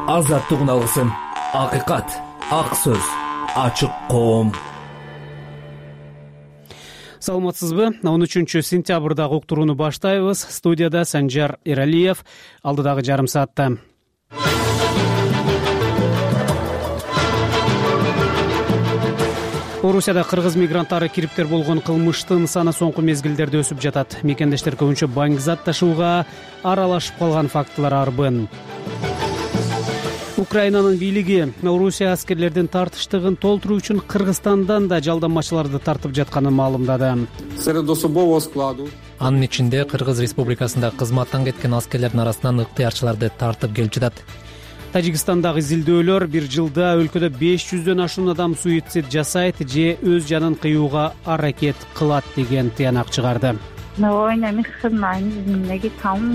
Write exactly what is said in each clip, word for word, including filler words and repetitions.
азаттык алгысың. Акыйкат, ак сөз, ачык коом. Саламатсызбы? он үчүнчү сентябрдагы уктурууну баштайбыз. Студияда Санжар Эралиев. Алдыдагы жарым саатта Орусияда кыргыз мигранттары кириптер болгон кылмыштын саны соңку мезгилдерде өсүп жатат. Мекендештер көбүнчө баңгизат ташууга аралашып калган фактылар арбын. Украинанын бийлиги Орусия аскерлердин тартыштыгын толтуруу үчүн Кыргызстандан да жалданмачыларды тартып жатканын маалымдады. Анын ичинде Кыргыз Республикасында кызматтан кеткен аскерлердин арасынан ыктыярчыларды тартып келип жатат. Тажикстандагы изилдөөлөр бир жылда өлкөдө беш жүздөн ашуун адам суицид жасайт же өз жанын кыюуга аракет кылат деген тыянак чыгарды.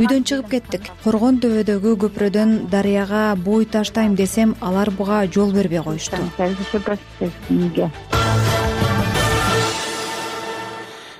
Үйдөн чыгып кеттик. Коргон төбөдөгү көпүрөдөн дарыяга бой таштайм десем, алар буга жол бербей коюшту.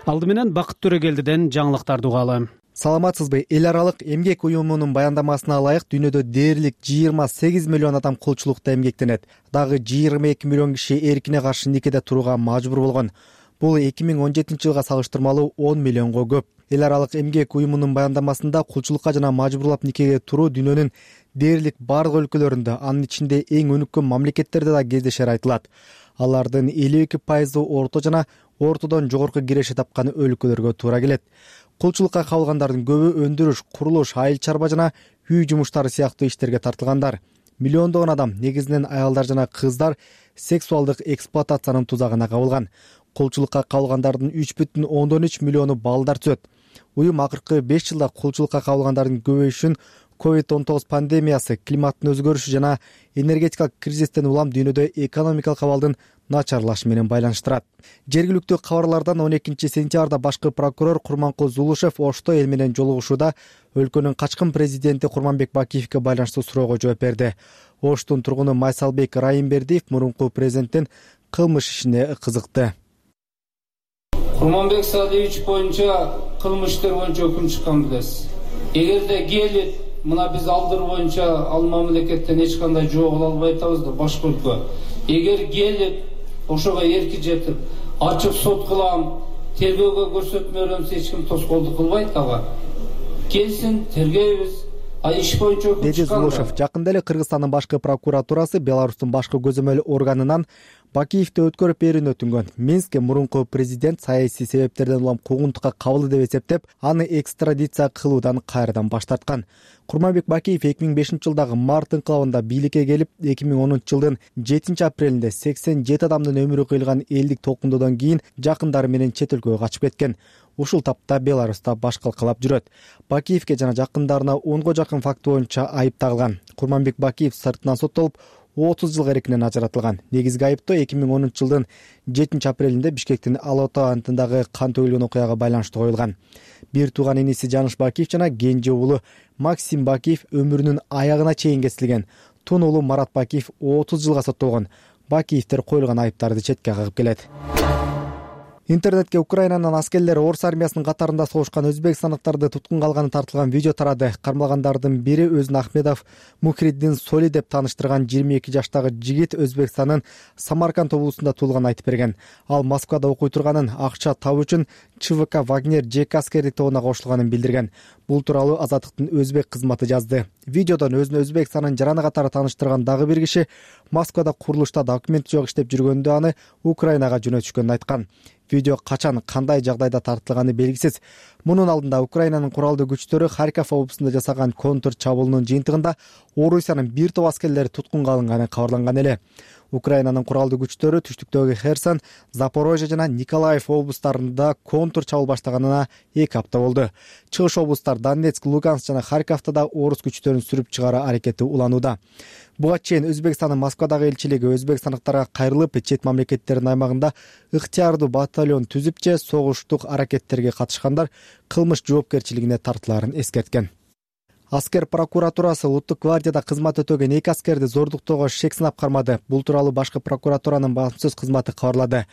Алды менен Бакыт Төрөгелдиден жаңылыктарды угалы. Саламатсызбы? Эл аралык эмгек уюмунун баяндамасына ылайык дүйнөдө дээрлик жыйырма сегиз миллион адам кулчулукта эмгектенет. Дагы жыйырма эки миллион киши эркине каршы никеде турууга мажбур болгон. Бул эки миң он жетинчи жылга салыштырмалуу он миллионго көп. Эл аралык эмгек уюмунун баяндамасында кулчулукка жана мажбурлап никеге туруу дүйнөнүн дээрлик бардык өлкөлөрүндө, анын ичинде эң өнүккөн мамлекеттерде да кездешери айтылат. Алардын элүү эки пайызы орто жана ортодон жогорку киреше тапкан өлкөлөргө туура келет. Кулчулукка кабылгандардын көбү өндүрүш, курулуш, айыл чарба жана үй жумуштары сыяктуу иштерге тартылгандар. Миллиондогон адам, негизинен аялдар жана кыздар, сексуалдык эксплуатациянын тузагына кабылган. Кулчулукка кабылгандардын үч бүтүн ондон үч миллиону балдар түзөт. Уюм акыркы беш жылда кулчулукка кабылгандардын көбөйүшүн ковид он тогуз пандемиясы, климаттын өзгөрүшү жана энергетикалык кризистен улам дүйнөдө экономикалык абалдын начарлашы менен байланыштырат. Жергиликтүү кабарлардан он экинчи сентябрда башкы прокурор Курманкул Зулушев Ошто эл менен жолугушууда өлкөнүн качкын президенти Курманбек Бакиевке байланыштуу суроого жооп берди. Оштун тургуну Майсалбек Райымбердиев мурунку президенттин кылмыш ишине кызыкты. Курманбек Садыевич боюнча кылмыш иштер боюнча өкүм чыккан билесиз. Эгерде келип мына биз алдыр боюнча ал мамлекеттен эч кандай жооп ала албай атабыз да башка өлкө. Эгер келип ошого эрки жетип, ачык сот кылам, тергөөгө көрсөтмө беремиз, эч ким тоскоолдук кылбайт ага. Келсин, тергейбиз. Деди Зулушев. Жакында эле Кыргызстандын башкы прокуратурасы Беларустун башкы көзөмөл органынан Бакиевди өткөрүп берүүнү өтүнгөн. Минскке мурунку президент саясий себептерден улам куугунтукка кабылды деп эсептеп, аны экстрадиция кылуудан кайрадан баш тарткан. Курманбек Бакиев эки миң бешинчи жылдагы март инкылабында бийликке келип, эки миң онунчу жылдын жетинчи апрелинде сексен жети адамдын өмүрү кыйылган элдик толкундоодон кийин жакындары менен чет өлкөгө качып кеткен. Ушул тапта Беларуста баш калкалап жүрөт. Бакиевке жана жакындарына онго жакын факт боюнча айып тагылган. Курманбек Бакиев сыртынан соттолуп, отуз жылга эркинен ажыратылган. Негизги айыптоо эки миң онунчу жылдын жетинчи апрелинде Бишкектин Алатау антындагы кан төгүлгөн окуяга байланыштуу коюлган. Бир тууган иниси Жаныш Бакиев жана кенже уулу Максим Бакиев өмүрүнүн аягына чейин кесилген. Тун уулу Марат Бакиев отуз жылга соттолгон. Бакиевдер коюлган айыптарды четке кагып келет. Интернетке Украинанын аскерлери орус армиясынын катарында согушкан өзбекстандыктарды туткунга алганы тартылган видео тарады. Кармалгандардын бири өзүн Ахмедов Мухриддин Соли деп тааныштырган жыйырма эки жаштагы жигит Өзбекстандын Самарканд облусунда туулганын айтып берген. Ал Москвада окуй турганын, акча табуу үчүн ЧВК Вагнер Жек аскердик тобуна кошулганын билдирген. Бул тууралуу Азаттыктын өзбек кызматы жазды. Видеодон өзүн Өзбекстандын жараны катары тааныштырган дагы бир киши Москвада курулушта документи жок иштеп жүргөндө аны Украинага жөнөтүшкөнүн айткан. Видео качан, кандай жагдайда тартылганы белгисиз. Мунун алдында Украинанын куралдуу күчтөрү Харьков облусунда жасаган контр чабуулунун жыйынтыгында Орусиянын бир топ аскерлери туткунга алынганы кабарланган эле. Украинанын куралдуу күчтөрү түштүктөгү Херсон, Запорожье жана Николаев облустарында контр чабуул баштаганына эки апта болду. Чыгыш облустар Донецк, Луганск жана Харьковдо да орус күчтөрүн сүрүп чыгаруу аракети уланууда. Буга чейин Өзбекстандын Москвадагы элчилиги өзбекстандыктарга кайрылып, чет мамлекеттердин аймагында ыктыярдуу батальон түзүп же согуштук аракеттерге катышкандар кылмыш жоопкерчилигине тартылаарын эскерткен. Аскер прокуратурасы улуттук гвардияда кызмат өтөгөн эки аскерди зордуктоого шек сынап кармады. Бул тууралуу башкы прокуратуранын басма сөз кызматы кабарлады.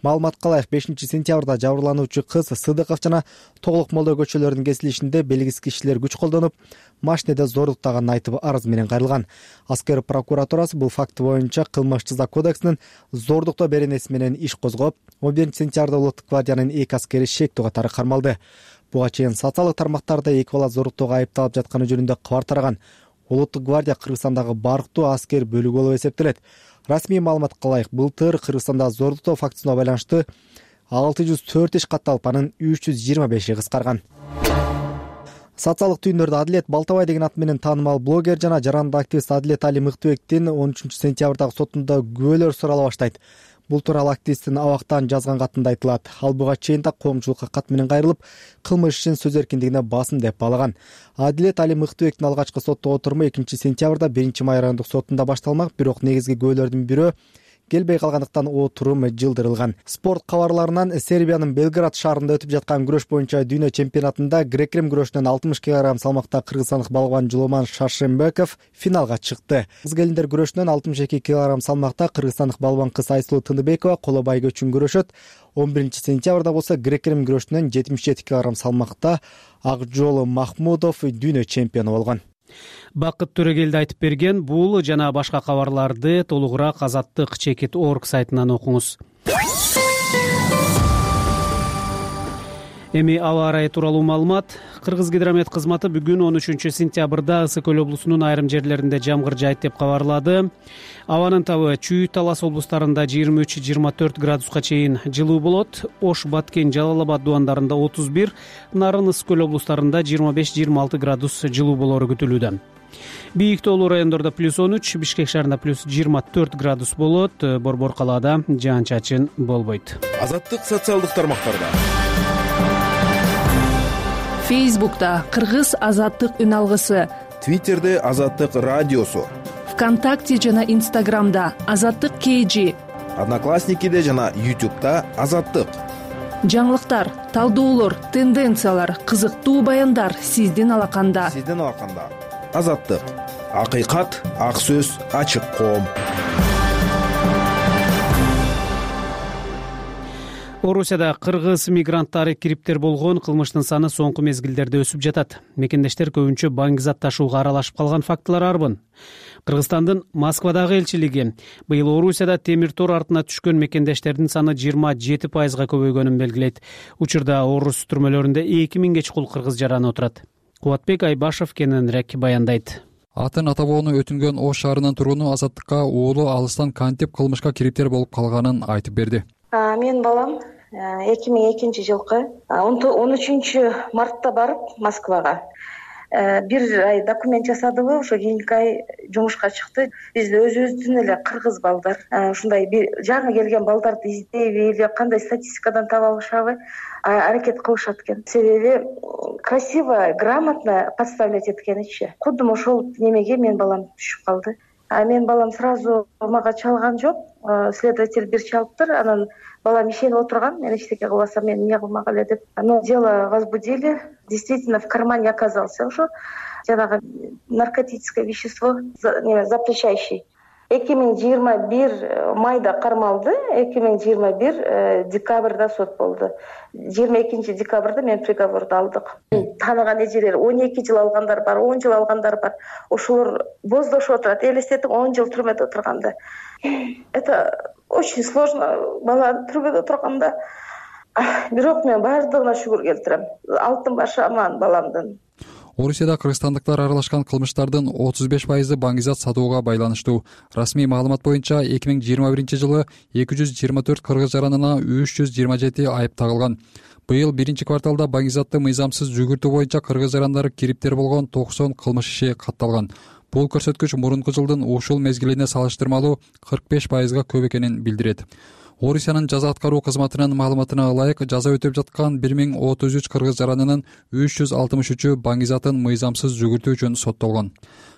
Маалыматка ылайык бешинчи сентябрда жабырлануучу кыз Сыдыков жана Тоглук Молдо көчөлөрүнүн кесилишинде белгисиз кишилер күч колдонуп, машинеде зордуктаганын айтып арыз менен кайрылган. Аскер прокуратурасы бул факт боюнча кылмыш жаза кодексинин зордуктоо беренеси менен иш козгоп, он биринчи сентябрда улуттук гвардиянын эки аскери шектүү катары кармалды. Буга чейин социалдык тармактарда эки бала зордуктоого айыпталып жатканы жөнүндө кабар тараган. Улуттук гвардия Кыргызстандагы барктуу аскер бөлүгү болуп эсептелет. Расмий маалыматка ылайык, былтыр Кыргызстанда зордуктоо фактысына байланыштуу алты жүз төрт иш катталып, анын үч жүз жыйырма беши кыскарган. Социалдык түйүндөрдө Адилет Балтабай деген ат менен таанымал блогер жана жарандык активист Адилет Али Мыктыбектин он үчүнчү сентябрдагы сотунда күбөлөр сурала баштайт. Бул тууралуу активисттин абактан жазган катында айтылат. Ал буга чейин да коомчулукка кат менен кайрылып, кылмыш ишин сөз эркиндигине басым деп баалаган. Адилет Али Мыктыбектин алгачкы соттогу отуруму экинчи сентябрда биринчи май райондук сотунда башталмак, бирок негизги күбөлөрдүн бирөө келбей калгандыктан отурум жылдырылган. Спорт кабарларынан Сербиянын Белград шаарында өтүп жаткан күрөш боюнча дүйнө чемпионатында грек-рим күрөшүнөн алтымыш килограмм салмакта кыргызстандык балбан Жуломан Шаршембеков финалга чыкты. Кыз келиндер күрөшүнөн алтымыш эки килограмм салмакта кыргызстандык балбан кыз Айсулуу Тындыбекова коло байгө үчүн күрөшөт. он биринчи сентябрда болсо грек-рим күрөшүнөн жетимиш жети килограмм салмакта Акжол Махмудов дүйнө чемпиону болгон. Бакыт Төрөгелди айтып берген. Бул жана башка кабарларды толугураак азаттык чекит точка орг сайтынан окуңуз. Эми аба ырайы тууралуу маалымат. Кыргызгидромет кызматы бүгүн он үчүнчү сентябрда Ысык көл облусунун айрым жерлеринде жамгыр жаайт деп кабарлады. Абанын табы Чүй, Талас облустарында жыйырма үч жыйырма төрт градуска чейин жылуу болот. Ош, Баткен, Жалал Абад дубандарында отуз бир, Нарын, Ысык көл облустарында жыйырма беш жыйырма алты градус жылуу болору күтүлүүдө. Бийик тоолуу райондордо плюс он үч, Бишкек шаарында плюс жыйырма төрт градус болот. Борбор калаада жаан-чачын болбойт. Азаттык социалдык тармактарда. Фейсбукта Кыргыз азаттык үн алгысы, Твиттерде Азаттык радиосу, ВКонтакте жана Инстаграмда Азаттык кейжи, Одноклассникиде жана Ютубта Азаттык. Жаңылыктар, талдоолор, тенденциялар, кызыктуу баяндар сиздин алаканда. Сиздин алаканда. Азаттык. Акыйкат, ак сөз, ачык коом. Орусияда кыргыз мигранттары кириптер болгон кылмыштын саны соңку мезгилдерде өсүп жатат. Мекендештер көбүнчө баңгизат ташууга аралашып калган фактылар арбын. Кыргызстандын Москвадагы элчилиги быйыл Орусияда темир тор артына түшкөн мекендештердин саны жыйырма жети пайызга көбөйгөнүн белгилейт. Учурда Орус түрмөлөрүндө эки миңге чукул кыргыз жараны отурат. Кубатбек Айбашев кененирээк баяндайт. Атын ата бабаны өтүнгөн Ош шаарынын тургуну Азаттыкка уулу алыстан кантип кылмышка кириптер болуп калганын айтып берди. Мен балам эки миң экинчи жылкы он үчүнчү мартта барып Москвага бир ай документ жасадыбы, ошо кийинки ай жумушка чыкты. Биз өзүбүздүн эле кыргыз балдар ушундай бир жаңы келген балдарды издейби или кандай статистикадан таба алышабы аракет кылышат экен. Себеби красиво, грамотно подставлять эткеничи. Кудум ошол немеге мен балам түшүп калды. А мен балам сразу мага чалган жок. Следователь бир чалыптыр, анан балам ишенип отурган, мен эчтеке кылбасам мен эмне кылмак эле деп. Но дело возбудили. Действительно в кармане оказался ошо жанагы наркотическое вещество, запрещающий. эки миң жыйырма бир майда кармалды, эки миң жыйырма бир декабрда сот болду. жыйырма экинчи декабрда мен приговорду алдык. Тааныган эжелер он эки жыл алгандар бар, он жыл алгандар бар. Ошолор боздошуп отурат. Элестетиң он жыл түрмөдө отурганда. Это очень сложно. Бала түрмөдө отурганда. Бирок мен баардыгына шүгүр келтирем. Алтын башы аман баламдын. Орусияда кыргызстандыктар аралашкан кылмыштардын отуз беш пайызы баңгизат сатууга байланыштуу. Расмий маалымат боюнча эки миң жыйырма биринчи жылы эки жүз жыйырма төрт кыргыз жаранына үч жүз жыйырма жети айып тагылган. Быйыл биринчи кварталда баңгизатты мыйзамсыз жүгүртүү боюнча кыргыз жарандары кириптер болгон токсон кылмыш иши катталган. Бул көрсөткүч мурунку жылдын ушул мезгилине салыштырмалуу кырк беш пайызга көп экенин билдирет. Орусиянын жаза аткаруу кызматынын маалыматына ылайык, жаза өтөп жаткан бир миң отуз үч кыргыз жаранынын үч жүз алтымыш үчү баңгизатын мыйзамсыз жүгүртүү үчүн соттолгон.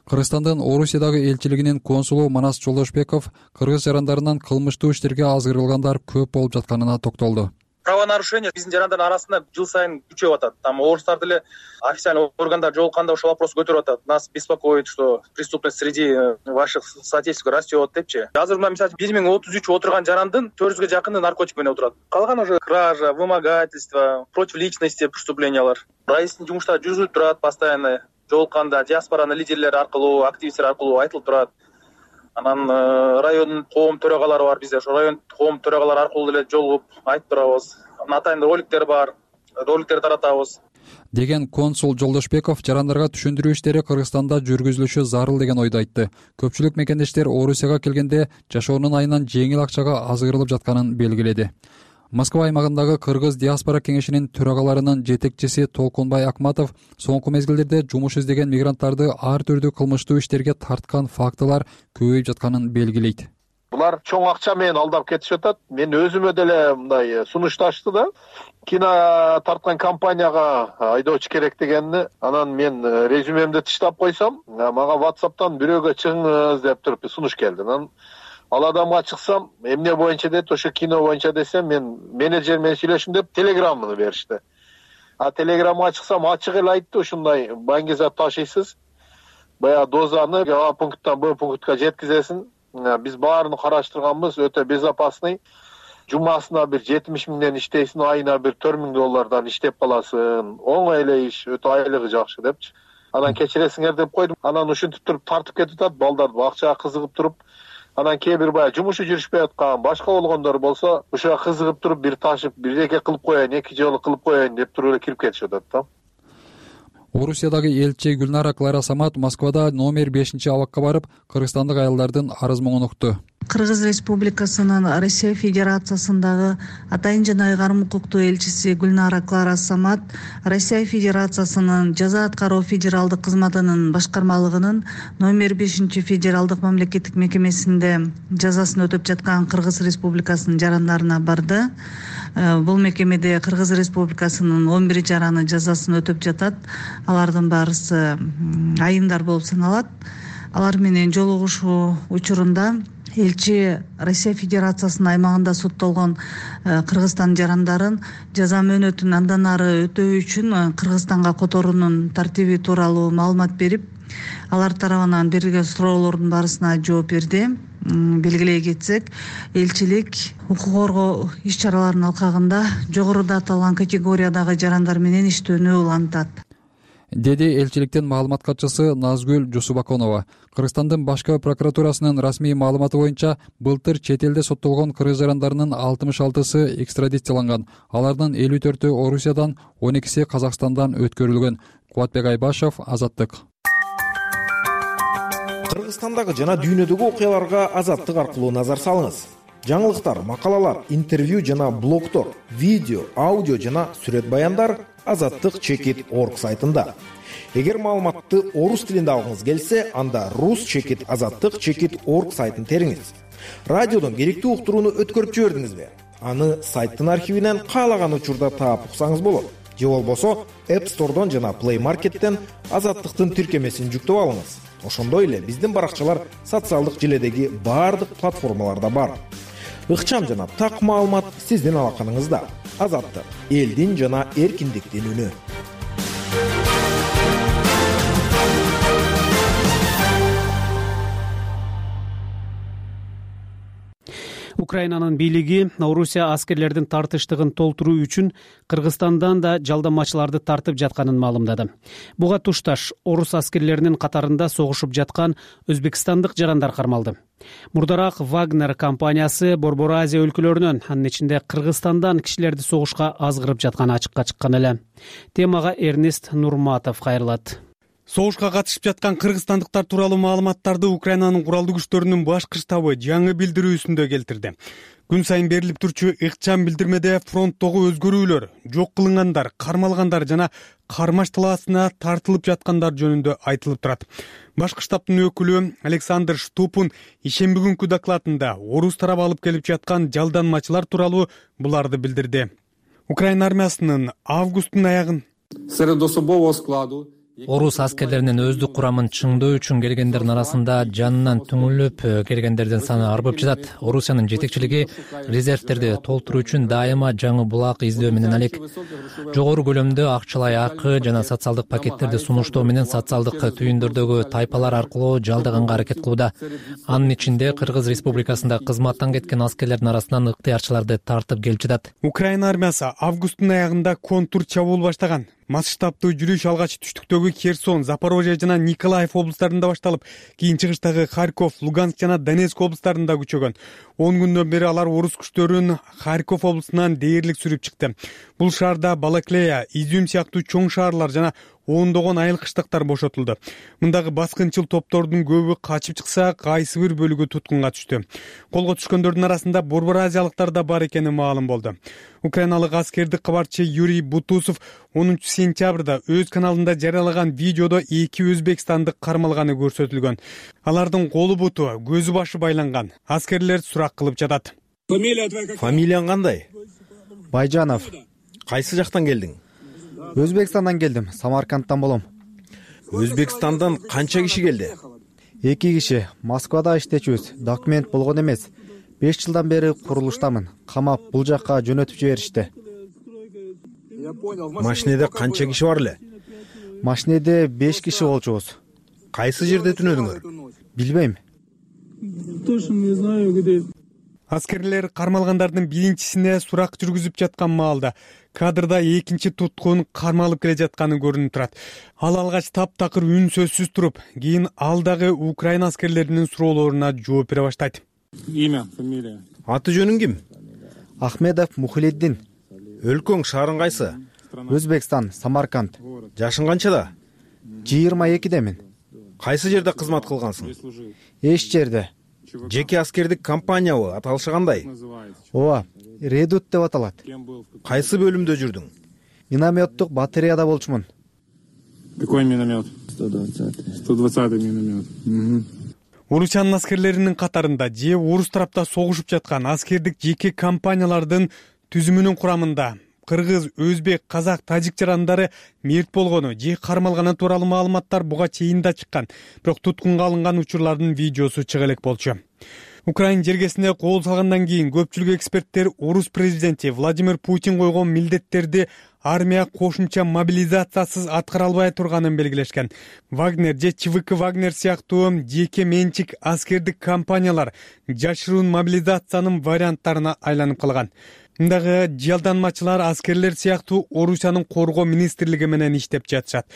Кыргызстандын Орусиядагы элчилигинин консулу Манас Жолдошбеков кыргыз жарандарынан кылмыштуу иштерге азгырылгандар көп болуп жатканына токтолду. правонарушение биздин жарандардын арасында жыл сайын күчөп атат. Там орустар деле официальный органдар жолукканда ошол вопрос көтөрүп атат. Нас беспокоит, что преступность среди ваших соотечественников растет депчи. Азыр мына мисалы бир миң отуз үч отурган жарандын төрт жүзгө жакыны наркотик менен отурат. Калган уже кража, вымогательство, против личности преступлениялар. Райистин жумуштары жүргүзүлүп турат постоянно. Жолукканда диаспоранын лидерлери аркылуу, активисттер аркылуу айтылып турат. Анан райондун коом төрагалары бар бизде. Ошо район коом төрагалары аркылуу деле жолугуп айтып турабыз. Атайын роликтер бар, роликтер таратабыз деген консул Жолдошбеков жарандарга түшүндүрүү иштери Кыргызстанда жүргүзүлүшү зарыл деген ойду айтты. Көпчүлүк мекендештер Орусияга келгенде жашоонун айынан жеңил акчага азгырылып жатканын белгиледи. Москва аймагындагы Кыргыз диаспора кеңешинин төрагаларынын жетекчиси Толкунбай Акматов соңку мезгилдерде жумуш издеген мигранттарды ар түрдүү кылмыштуу иштерге тарткан фактылар көбөйүп жатканын белгилейт. Булар чоң акча менен алдап кетишип атат. Мен өзүмө деле мындай сунушташты да. Кино тарткан компанияга айдоочу керек дегенди. Анан мен резюмемди тыштап койсом, мага WhatsApp'тан бирөөгө чыгыңыз деп туруп сунуш келди. Анан ал адамга чыксам, эмне боюнча дейт, ошо кино боюнча десем, мен менеджер менен сүйлөшүм деп телеграмманы беришти. А телеграммага чыксам, ачык эле айтты, ушундай баңгизат ташыйсыз. Баягы дозаны А пункттан Б пунктка жеткизесиң. Биз баарын караштырганбыз, өтө безопасный. Жумасына бир жетимиш миңден иштейсиң, айына бир төрт миң доллардан иштеп каласың. Оңой эле иш, өтө айлыгы жакшы депчи. Анан кечиресиңер деп койдум. Анан ушинтип туруп тартып кетип атат, балдар акчага кызыгып туруп. Анан кээ бир баягы жумушу жүрүшпөй аткан, башка болгондор болсо, ушуга кызыгып туруп бир ташып, бир эке кылып коеюн, эки жолу кылып коеюн деп туруп эле кирип кетишип атат да. Орусиядагы элчи Гүлнара Клара Самат Москвада номер бешинчи абакка барып, кыргызстандык аялдардын арыз муңун укту. Кыргыз Республикасынын Россия Федерациясындагы атайын жана ыйгарым укуктуу элчиси Гүлнара Клара Самат Россия Федерациясынын жаза аткаруу федералдык кызматынын башкармалыгынын номер бешинчи федералдык мамлекеттик мекемесинде жазасын өтөп жаткан Кыргыз Республикасынын жарандарына барды. Бул мекемеде Кыргыз Республикасынын он бир жараны жазасын өтөп жатат. Алардын баарысы айымдар болуп саналат. Алар менен жолугушуу учурунда элчи Россия Федерациясынын аймагында соттолгон Кыргызстан жарандарын жаза мөөнөтүн андан ары өтөө үчүн Кыргызстанга которуунун тартиби тууралуу маалымат берип, алар тарабынан берилген суроолордун баарысына жооп берди. Белгилей кетсек, элчилик укук коргоо иш-чараларынын алкагында жогоруда аталган категориядагы жарандар менен иштөөнү улантат, деди элчиликтин маалымат катчысы Назгүл Жусубаконова. Кыргызстандын башкы прокуратурасынын расмий маалыматы боюнча былтыр чет элде соттолгон кыргыз жарандарынын алтымыш алтысы экстрадицияланган. Алардын элүү төртү Орусиядан, он экиси Казакстандан өткөрүлгөн. Кубатбек Айбашев, Азаттык. Кыргызстандагы жана дүйнөдөгү окуяларга Азаттык аркылуу назар салыңыз. Жаңылыктар, макалалар, интервью жана блогтор, видео, аудио жана сүрөт баяндар азаттык чекит точка орг сайтында. Эгер маалыматты орус тилинде алгыңыз келсе, анда рус чекит азаттык чекит точка орг сайтын териңиз. Радиодон керектүү уктурууну өткөрүп жибердиңизби? Аны сайттын архивинен каалаган учурда таап уксаңыз болот. Же болбосо App Store'дон жана Play Market'тен азаттыктын тиркемесин жүктөп алыңыз. Ошондой эле биздин баракчалар социалдык желедеги баардык платформаларда бар. Ыкчам жана так маалымат сиздин алаканыңызда. Азаттык, элдин жана эркиндиктин үнү. Украинанын бийлиги Орусия аскерлердин тартыштыгын толтуруу үчүн Кыргызстандан да жалданмачыларды тартып жатканын маалымдады. Буга тушташ орус аскерлеринин катарында согушуп жаткан өзбекстандык жарандар кармалды. Мурдараак Вагнер компаниясы Борбор Азия өлкөлөрүнөн, анын ичинде Кыргызстандан кишилерди согушка азгырып жатканы ачыкка чыккан эле. Темага Эрнест Нурматов кайрылат. Согушка катышып жаткан кыргызстандыктар тууралуу маалыматтарды Украинанын куралдуу күчтөрүнүн башкы штабы жаңы билдирүүсүндө келтирди. Күн сайын берилип турчу ыкчам билдирмеде фронттогу өзгөрүүлөр, жок кылынгандар, кармалгандар жана кармаш талаасына тартылып жаткандар жөнүндө айтылып турат. Башкы штабтын өкүлү Александр Штупун ишемби күнкү докладында орус тарабы алып келип жаткан жалданмачылар тууралуу буларды билдирди. Украина армиясынын августтун аягын Серед особового складу орус аскерлеринин өздүк курамын чыңдоо үчүн келгендердин арасында жанынан түңүлүп келгендердин саны арбып жатат. Орусиянын жетекчилиги резервтерди толтуруу үчүн дайыма жаңы булак издөө менен алек. Жогору көлөмдө акчалай акы жана социалдык пакеттерди сунуштоо менен социалдык түйүндөрдөгү тайпалар аркылуу жалдаганга аракет кылууда. Анын ичинде Кыргыз Республикасында кызматтан кеткен аскерлердин арасынан ыктыярчыларды тартып келип жатат. Украина армиясы августтун аягында контур чабуул баштаган. Масштабдуу жүрүш алгач түштүктөгү Херсон, Запорожье жана Николаев облустарында башталып, кийин чыгыштагы Харьков, Луганск жана Донецк облустарында күчөгөн. он күндөн бери алар орус күчтөрүн Харьков облусунан дээрлик сүрүп чыкты. Бул шаарда Балаклея, Изюм сыяктуу чоң шаарлар жана ондогон айыл кыштактар бошотулду. Мындагы баскынчыл топтордун көбү качып чыкса, кайсы бир бөлүгү туткунга түштү. Колго түшкөндөрдүн арасында борбор азиялыктар да бар экени маалым болду. Украиналык аскердик кабарчы Юрий Бутусов онунчу сентябрда өз каналында жарыялаган видеодо эки өзбекстандык кармалганы көрсөтүлгөн. Алардын колу буту, көзү башы байланган. Аскерлер сурак кылып жатат. Фамилияң кандай? Байжанов. Кайсы жактан келдиң? Өзбекстандан келдим, Самаркандтан болом. Өзбекстандан канча киши келди? Эки киши. Москвада иштечүбүз. Документ болгон эмес. беш жылдан бери курулуштамын. Камап бул жакка жөнөтүп жиберишти. Машинеде канча киши бар эле? Машинеде беш киши болчубуз. Кайсы жерде түнөдүңөр? Билбейм. Аскерлер кармалгандардын биринчисине сурак жүргүзүп жаткан маалда кадрда экинчи туткун кармалып келе жатканы көрүнүп турат. Ал алгач таптакыр үн сөзсүз туруп, кийин ал дагы Украина аскерлеринин суроолоруна жооп бере баштайт. Имя, фамилия. Аты жөнүң ким? Ахмедов Мухлиддин. Өлкөң шаарың кайсы? Өзбекстан, Самарканд. Жашың канчада? жыйырма экидемин. Кайсы жерде кызмат кылгансың? Эч жерде. Жеке аскердик компаниябы? Аталышы кандай? Ооба, Редут деп аталат. Кайсы бөлүмдө жүрдүң? Минометтук батареяда болчумун. Какой миномет? сто двадцатый. сто двадцатый миномет. Орусиянын аскерлеринин катарында же орус тарапта согушуп жаткан аскердик жеке компаниялардын түзүмүнүн курамында кыргыз, өзбек, казак, тажик жарандары мерт болгону же кармалганы тууралуу маалыматтар буга чейин да чыккан. Бирок туткунга алынган учурлардын видеосу чыга элек болчу. Украин жергесине кол салгандан кийин көпчүлүк эксперттер орус президенти Владимир Путин койгон милдеттерди армия кошумча мобилизациясыз аткара албай турганын белгилешкен. Вагнер же ЧВК Вагнер сыяктуу жеке менчик аскердик компаниялар жашыруун мобилизациянын варианттарына айланып калган. Мындагы жалданмачылар аскерлер сыяктуу Орусиянын коргоо министрлиги менен иштеп жатышат.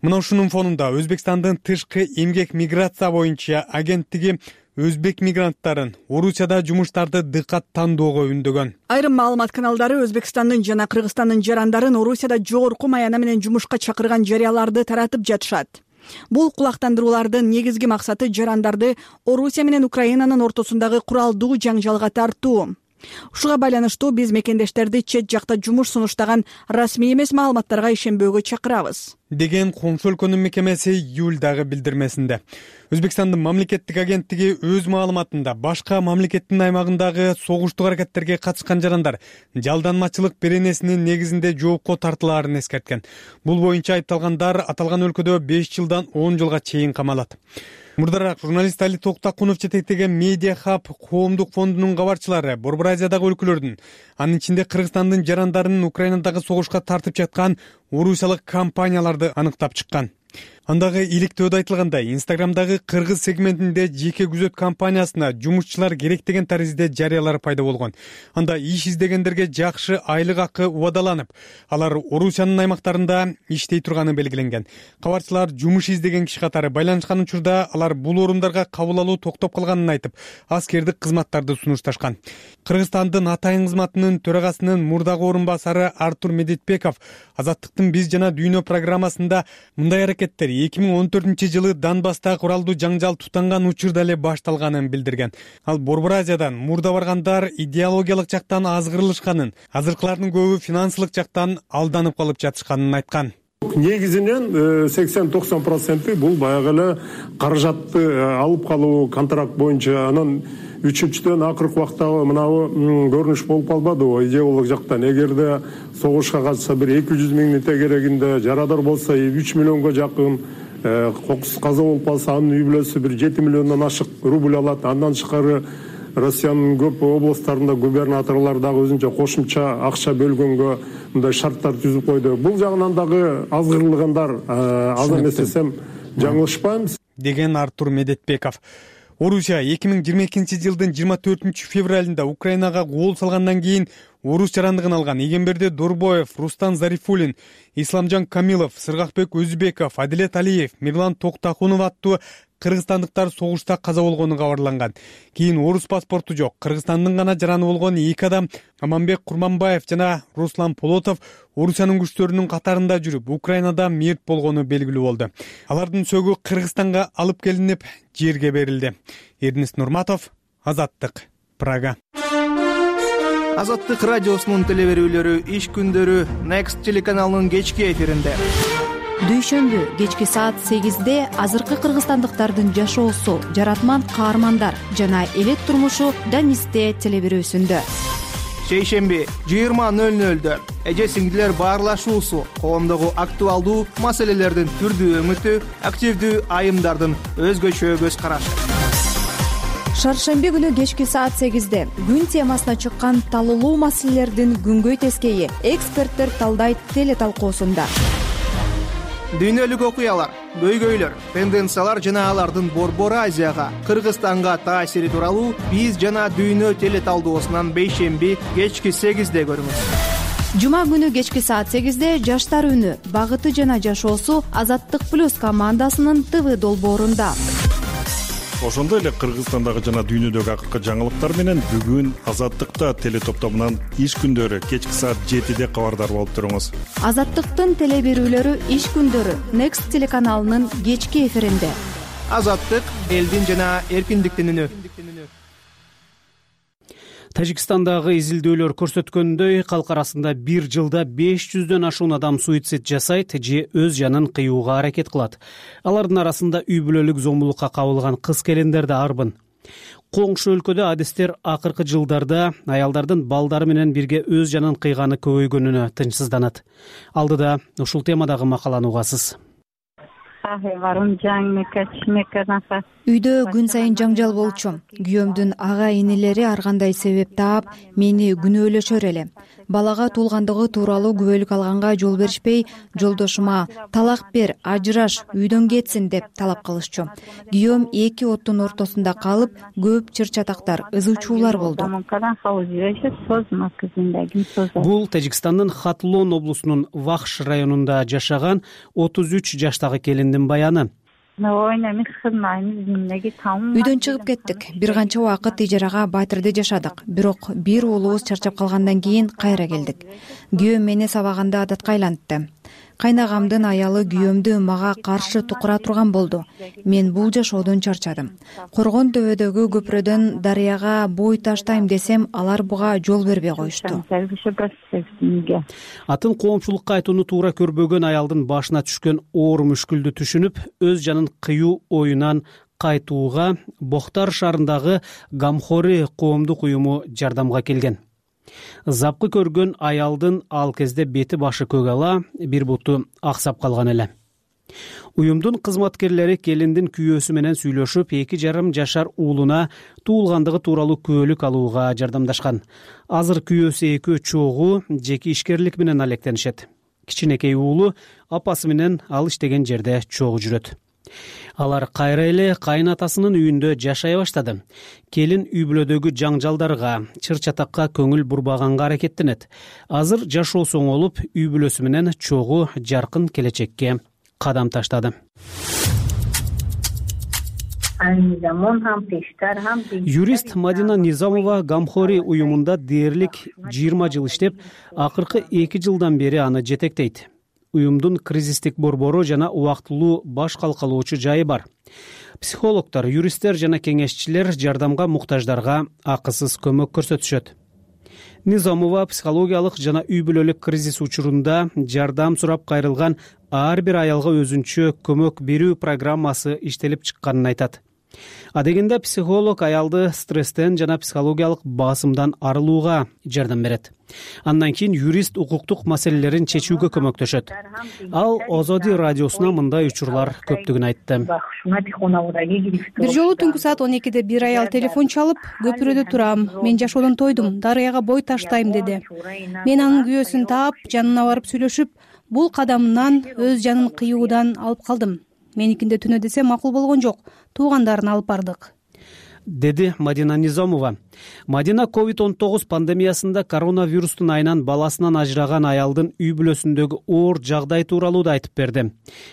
Мына ушунун фонунда Өзбекстандын тышкы эмгек миграция боюнча агенттиги өзбек мигранттарын Орусияда жумуштарды дыкат тандоого үндөгөн. Айрым маалымат каналдары Өзбекстандын жана Кыргызстандын жарандарын Орусияда жогорку маяна менен жумушка чакырган жарыяларды таратып жатышат. Бул кулактандыруулардын негизги максаты жарандарды Орусия менен Украинанын ортосундагы куралдуу жаңжалга тартуу. Ушуга байланыштуу биз мекендештерди чет жакта жумуш сунуштаган расмий эмес маалыматтарга ишенбөөгө чакырабыз, деген коңшу өлкөнүн мекемеси июлдагы билдирмесинде. Өзбекстандын мамлекеттик агенттиги өз маалыматында башка мамлекеттин аймагындагы согуштук аракеттерге катышкан жарандар жалданмачылык беренесинин негизинде жоопко тартылаарын эскерткен. Бул боюнча айыпталгандар аталган өлкөдө беш жылдан он жылга чейин камалат. Мурдараак журналист Али Токтакунов жетектеген Медиа Хаб коомдук фондунун кабарчылары Борбор Азиядагы өлкөлөрдүн, анын ичинде Кыргызстандын жарандарын Украинадагы согушка тартып жаткан орусиялык компанияларды аныктап чыккан. Андагы иликтөөдө айтылгандай, Инстаграмдагы кыргыз сегментинде жеке күзөт компаниясына жумушчулар керек деген таризде жарыялар пайда болгон. Анда иш издегендерге жакшы айлык акы убадаланып, алар Орусиянын аймактарында иштей турганы белгиленген. Кабарчылар жумуш издеген киши катары байланышкан учурда алар бул орундарга кабыл алуу токтоп калганын айтып, аскердик кызматтарды сунушташкан. Кыргызстандын атайын кызматынын төрагасынын мурдагы орун басары Артур Медетбеков Азаттыктын биз жана дүйнө программасында мындай аракеттер эки миң он төртүнчү жылы Донбасста куралдуу жаңжал тутанган учурда эле башталганын билдирген. Ал Борбор Азиядан мурда баргандар идеологиялык жактан азгырылышканын, азыркылардын көбү финансылык жактан алданып калып жатышканын айткан. Негизинен сексен токсон проценти бул баягы эле каражатты алып калуу контракт боюнча анан үчүнчүдөн акыркы убактагы мынабу көрүнүш болуп калбадыбы идеологиялык жактан? Эгерде согушка катышса бир эки жүз миңдин тегерегинде, жарадар болсо үч миллионго жакын, кокусуз каза болуп калса анын үй бүлөсү бир жети миллиондон ашык рубль алат. Андан тышкары Россиянын көп областтарында губернаторлор дагы өзүнчө кошумча акча бөлгөнгө мындай шарттар түзүп койду. Бул жагынан дагы азгырылгандар аз эмес десем жаңылышпайм деген Артур Медетбеков. Орусия эки миң жыйырма экинчи жылдын жыйырма төртүнчү февралында Украинага гол салгандан кийин орус жарандыгын алган Эгемберди Дорбоев, Рустан Зарифулин, Исламжан Камилов, Сыргакбек Өзүбеков, Адилет Алиев, Мирлан Токтакунов аттуу кыргызстандыктар согушта каза болгону кабарланган. Кийин орус паспорту жок Кыргызстандын гана жараны болгон эки адам Аманбек Курманбаев жана Руслан Полотов Орусиянын күчтөрүнүн катарында жүрүп, Украинада мерт болгону белгилүү болду. Алардын сөгү Кыргызстанга алып келинип, жерге берилди. Эрнест Нурматов, Азаттык, Прага. Азаттык радиосунун телеберүүлөрү иш күндөрү Next телеканалынын кечки эфиринде. Дүйшөмбү кечки саат сегизде азыркы кыргызстандыктардын жашоосу, жаратман каармандар жана элет турмушу Данисте телеберүүсүндө. Шейшемби жыйырма нөл нөлдө эже сиңдилер баарлашуусу, коомдогу актуалдуу маселелердин түрдүү өңүтү, активдүү айымдардын өзгөчө көз карашы. Шаршемби күнү кечки саат сегизде күн темасына чыккан талуулуу маселелердин күнгөй тескейи эксперттер талдайт телеталкуусунда. Дүйнөлүк окуялар, көйгөйлөр, тенденциялар жана алардын Борбор Азияга, Кыргызстанга таасири тууралуу биз жана дүйнө телеталдоосунан бейшемби кечки сегизде көрүңүз. Жума күнү кечки саат сегизде жаштар үнү, багыты жана жашоосу Азаттык плюс командасынын ТВ долбоорунда. Ошондой эле Кыргызстандагы жана дүйнөдөгү акыркы жаңылыктар менен бүгүн Азаттыкта телетоптомунан иш күндөрү кечки саат жетиде кабардар болуп туруңуз. Азаттыктын телеберүүлөрү иш күндөрү Next телеканалынын кечки эфиринде. Азаттык элдин жана эркиндиктин үнү. Тажикстандагы изилдөөлөр көрсөткөндөй, калк арасында бир жылда беш жүздөн ашуун адам суицид жасайт же өз жанын кыюуга аракет кылат. Алардын арасында үй бүлөлүк зомбулукка кабылган кыз-келиндер да арбын. Коңшу өлкөдө адистер акыркы жылдарда аялдардын балдары менен бирге өз жанын кыйганы көбөйгөнүнө тынчсызданат. Алдыда ушул темадагы макаланы угасыз. Үйдө күн сайын жаңжал болчу. Күйөөмдүн ага инелери ар кандай себеп таап, мени күнөөлөшөр эле. Балага туулгандыгы тууралуу күбөлүк алганга жол беришпей, жолдошума талак бер, ажыраш, үйдөн кетсин деп талап кылышчу. Күйөөм эки оттун ортосунда калып, көп чыр-чатактар, ызы-чуулар болду. Бул Тажикстандын Хатлон облусунун Вахш районунда жашаган отуз үч жаштагы келиндин баяны. Үйдөн чыгып кеттик. Бир канча убакыт ижарага Батырда жашадык. Бирок бир уулубуз чарчап калгандан кийин кайра келдик. Күйөөм мени сабаганда адатка айлантты. Кайнагамдын аялы күйөөмдү мага каршы тукура турган болду. Мен бул жашоодон чарчадым. Коргон төбөдөгү көпүрөдөн дарыяга бой таштайм десем, алар буга жол бербей коюшту. Атын коомчулукка айтууну туура көрбөгөн аялдын башына түшкөн оор мүшкүлдү түшүнүп, өз жанын кыюу оюнан кайтууга Бохтар шаарындагы Гамхори коомдук уюму жардамга келген. Запкы көргөн аялдын ал кезде бети башы көк ала, бир буту аксап калган эле. Уюмдун кызматкерлери келиндин күйөөсү менен сүйлөшүп, эки жарым жашар уулуна туулгандыгы тууралуу күбөлүк алууга жардамдашкан. Азыр күйөөсү экөө чогуу жеке ишкерлик менен алектенишет. Кичинекей уулу апасы менен ал иштеген жерде чогуу жүрөт. Алар кайра эле кайнатасынын үйүндө жашай баштады. Келин үй бүлөдөгү жаңжалдарга, чыр-чатакка көңүл бурбаганга аракеттенет. Азыр жашоосу оңолуп, үй бүлөсү менен чогуу жаркын келечекке кадам таштады. Юрист Мадина Низамова Гамхори уюмунда дээрлик жыйырма жыл иштеп, акыркы эки жылдан бери аны жетектейт. Уюмдун кризистик борбору жана убактылуу баш калкалоочу жайы бар. Психологдор, юристтер жана кеңешчилер жардамга муктаждарга акысыз көмөк көрсөтүшөт. Низамова психологиялык жана үй бүлөлүк кризис учурунда жардам сурап кайрылган ар бир аялга өзүнчө көмөк берүү программасы иштелип чыкканын айтат. Адегенде психолог аялды стресстен жана психологиялык басымдан арылууга жардам берет. Андан кийин юрист укуктук маселелерин чечүүгө көмөктөшөт. Ал Озоди радиосуна мындай учурлар көптүгүн айтты. Бир жолу түнкү саат он экиде бир аял телефон чалып, көпүрөдө турам, мен жашоодон тойдум, дарыяга бой таштайм деди. Мен анын күйөөсүн таап, жанына барып сүйлөшүп, бул кадамынан өз жанын кыюудан алып калдым. Меникинде түнө десе макул болгон жок, туугандарын алып бардык, деди Мадина Низомова. Мадина ковид он тогуз пандемиясында коронавирустун айынан баласынан ажыраган аялдын үй бүлөсүндөгү оор жагдай тууралуу да айтып берди.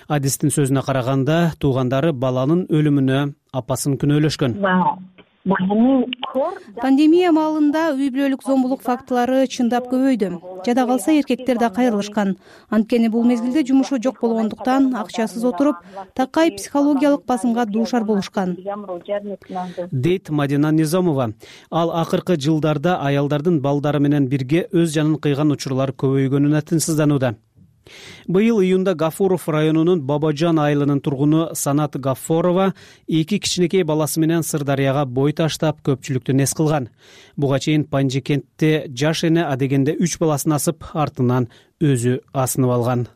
Адистин сөзүнө караганда, туугандары баланын өлүмүнө апасын күнөөлөшкөн. Пандемия маалында үй бүлөлүк зомбулук фактылары чындап көбөйдү. Жада калса эркектер да кайрылышкан. Анткени бул мезгилде жумушу жок болгондуктан акчасыз отуруп, такай психологиялык басымга дуушар болушкан, дейт Мадина Низомова. Ал акыркы жылдарда аялдардын балдары менен бирге өз жанын кыйган учурлар көбөйгөнүнө тынчсызданууда. Быйыл июнда Гафуров районунун Бабажан айылынын тургуну Санат Гафорова эки кичинекей баласы менен Сырдарыяга бой таштап, көпчүлүктү нес кылган. Буга чейин Панжи кентте жаш эне адегенде үч баласын асып, артынан өзү асынып алган.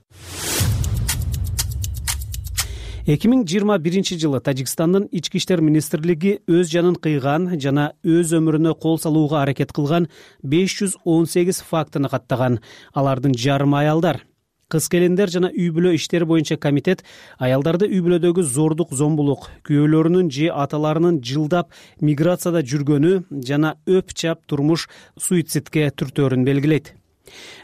эки миң жыйырма биринчи жылы Тажикстандын ички иштер министрлиги өз жанын кыйган жана өз өмүрүнө кол салууга аракет кылган беш жүз он сегиз фактыны каттаган. Алардын жарымы аялдар. Кыз келиндер жана үй бүлө иштери боюнча комитет аялдарды үй бүлөдөгү зордук, зомбулук, күйөөлөрүнүн же аталарынын жылдап миграцияда жүргөнү жана өп чап турмуш суицидке түртөөрүн белгилейт.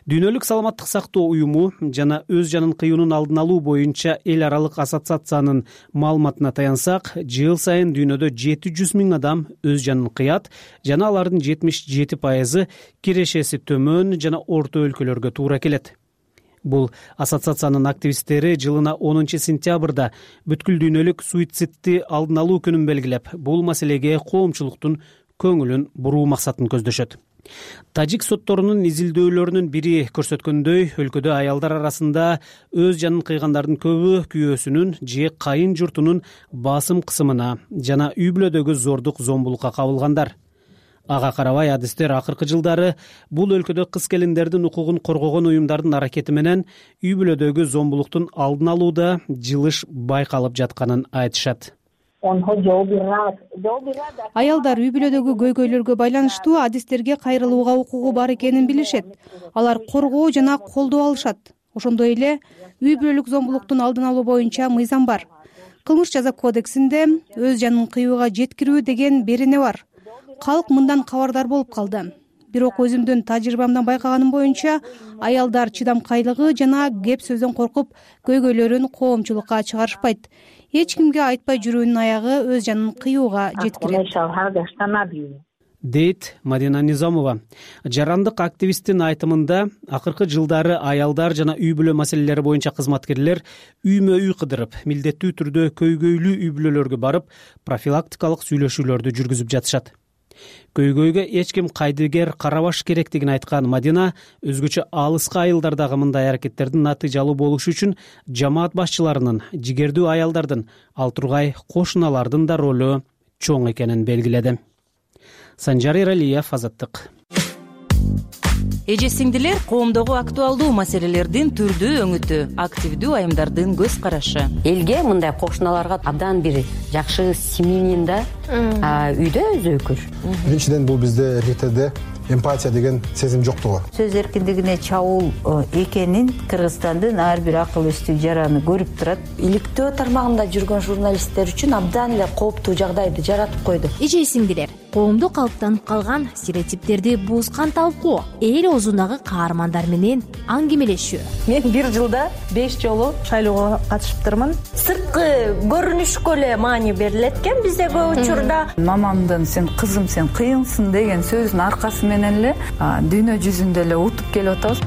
Дүйнөлүк саламаттык сактоо уюму жана өз жанын кыюунун алдын алуу боюнча эл аралык ассоциациянын маалыматына таянсак, жыл сайын дүйнөдө жети жүз миң адам өз жанын кыят жана алардын жетимиш жети пайызы кирешеси төмөн жана орто өлкөлөргө туура келет. Бул ассоциациянын активисттери жылына онунчу сентябрда бүткүл дүйнөлүк суицидти алдын алуу күнүн белгилеп, бул маселеге коомчулуктун көңүлүн буруу максатын көздөшөт. Тажик сотторунун изилдөөлөрүнүн бири көрсөткөндөй, өлкөдө аялдар арасында өз жанын кыйгандардын көбү күйөөсүнүн же кайын журтунун басым кысымына жана үй бүлөдөгү зордук, зомбулукка кабылгандар. Ага карабай, адистер акыркы жылдары бул өлкөдө кыз келиндердин укугун коргогон уюмдардын аракети менен үй бүлөдөгү зомбулуктун алдын алууда жылыш байкалып жатканын айтышат. Аялдар үй бүлөдөгү көйгөйлөргө байланыштуу адистерге кайрылууга укугу бар экенин билишет. Алар коргоо жана колдоо алышат. Ошондой эле үй бүлөлүк зомбулуктун алдын алуу боюнча мыйзам бар. Кылмыш жаза кодексинде өз жанын кыюуга жеткирүү деген берене бар. Калк мындан кабардар болуп калды. Бирок өзүмдүн тажрыйбамдан байкаганым боюнча, аялдар чыдамкайлыгы жана кеп сөздөн коркуп, көйгөйлөрүн коомчулукка чыгарышпайт. Эч кимге айтпай жүрүүнүн аягы өз жанын кыюуга жеткирет, дейт Мадина Низомова. Жарандык активисттин айтымында, акыркы жылдары аялдар жана үй бүлө маселелери боюнча кызматкерлер үймө үй кыдырып, милдеттүү түрдө көйгөйлүү үй бүлөлөргө барып, профилактикалык сүйлөшүүлөрдү жүргүзүп жатышат. Көйгөйгө эч ким кайдыгер карабаш керектигин айткан Мадина өзгөчө алыска айылдардагы мындай аракеттердин натыйжалуу болушу үчүн жамаат башчыларынын, жигердүү аялдардын, ал тургай кошуналардын да ролу чоң экенин белгиледи. Санжар Эралиев, Азаттык. Эже сиңдилер, коомдогу актуалдуу маселелердин түрдүү өңүтү, активдүү айымдардын көз карашы. Элге мындай кошуналарга абдан бир жакшы семьянин да үйдө өзөкүр. Биринчиден бул бизде эркектерде эмпатия деген сезим жоктугу. Сөз эркиндигине чабуул экенин Кыргызстандын ар бир акыл эстүү жараны көрүп турат. Иликтөө тармагында жүргөн журналисттер үчүн абдан эле кооптуу жагдайды жаратып койду. Эже сиңдилер, коомдо калыптанып калган стереотиптерди буузган талкуу, эл оозундагы каармандар менен аңгемелешүү. Мен бир жылда беш жолу шайлоого катышыптырмын. Сырткы көрүнүшкө эле маани берилет экен бизде көп учурда. Мамамдын "сен кызым, сен кыйынсың" деген сөзүнүн аркасы менен эле дүйнө жүзүндө эле утуп келип атабыз.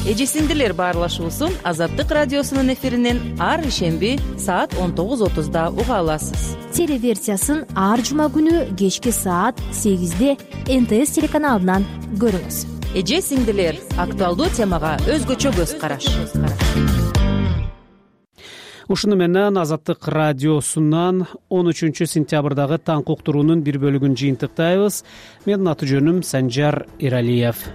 Эже сиңдилер баарлашуусун Азаттык радиосунун эфиринен ар ишемби саат он тогуз отузда уга аласыз. Телеверсиясын ар жума күнү кечки саат сегизде эн тэ эс телеканалынан көрүңүз. Эже сиңдилер, актуалдуу темага өзгөчө көз караш. ушуну менен Азаттык радиосунан он үчүнчү сентябрдагы таң уктуруунун бир бөлүгүн жыйынтыктайбыз. Менин аты жөнүм Санжар Иралиев.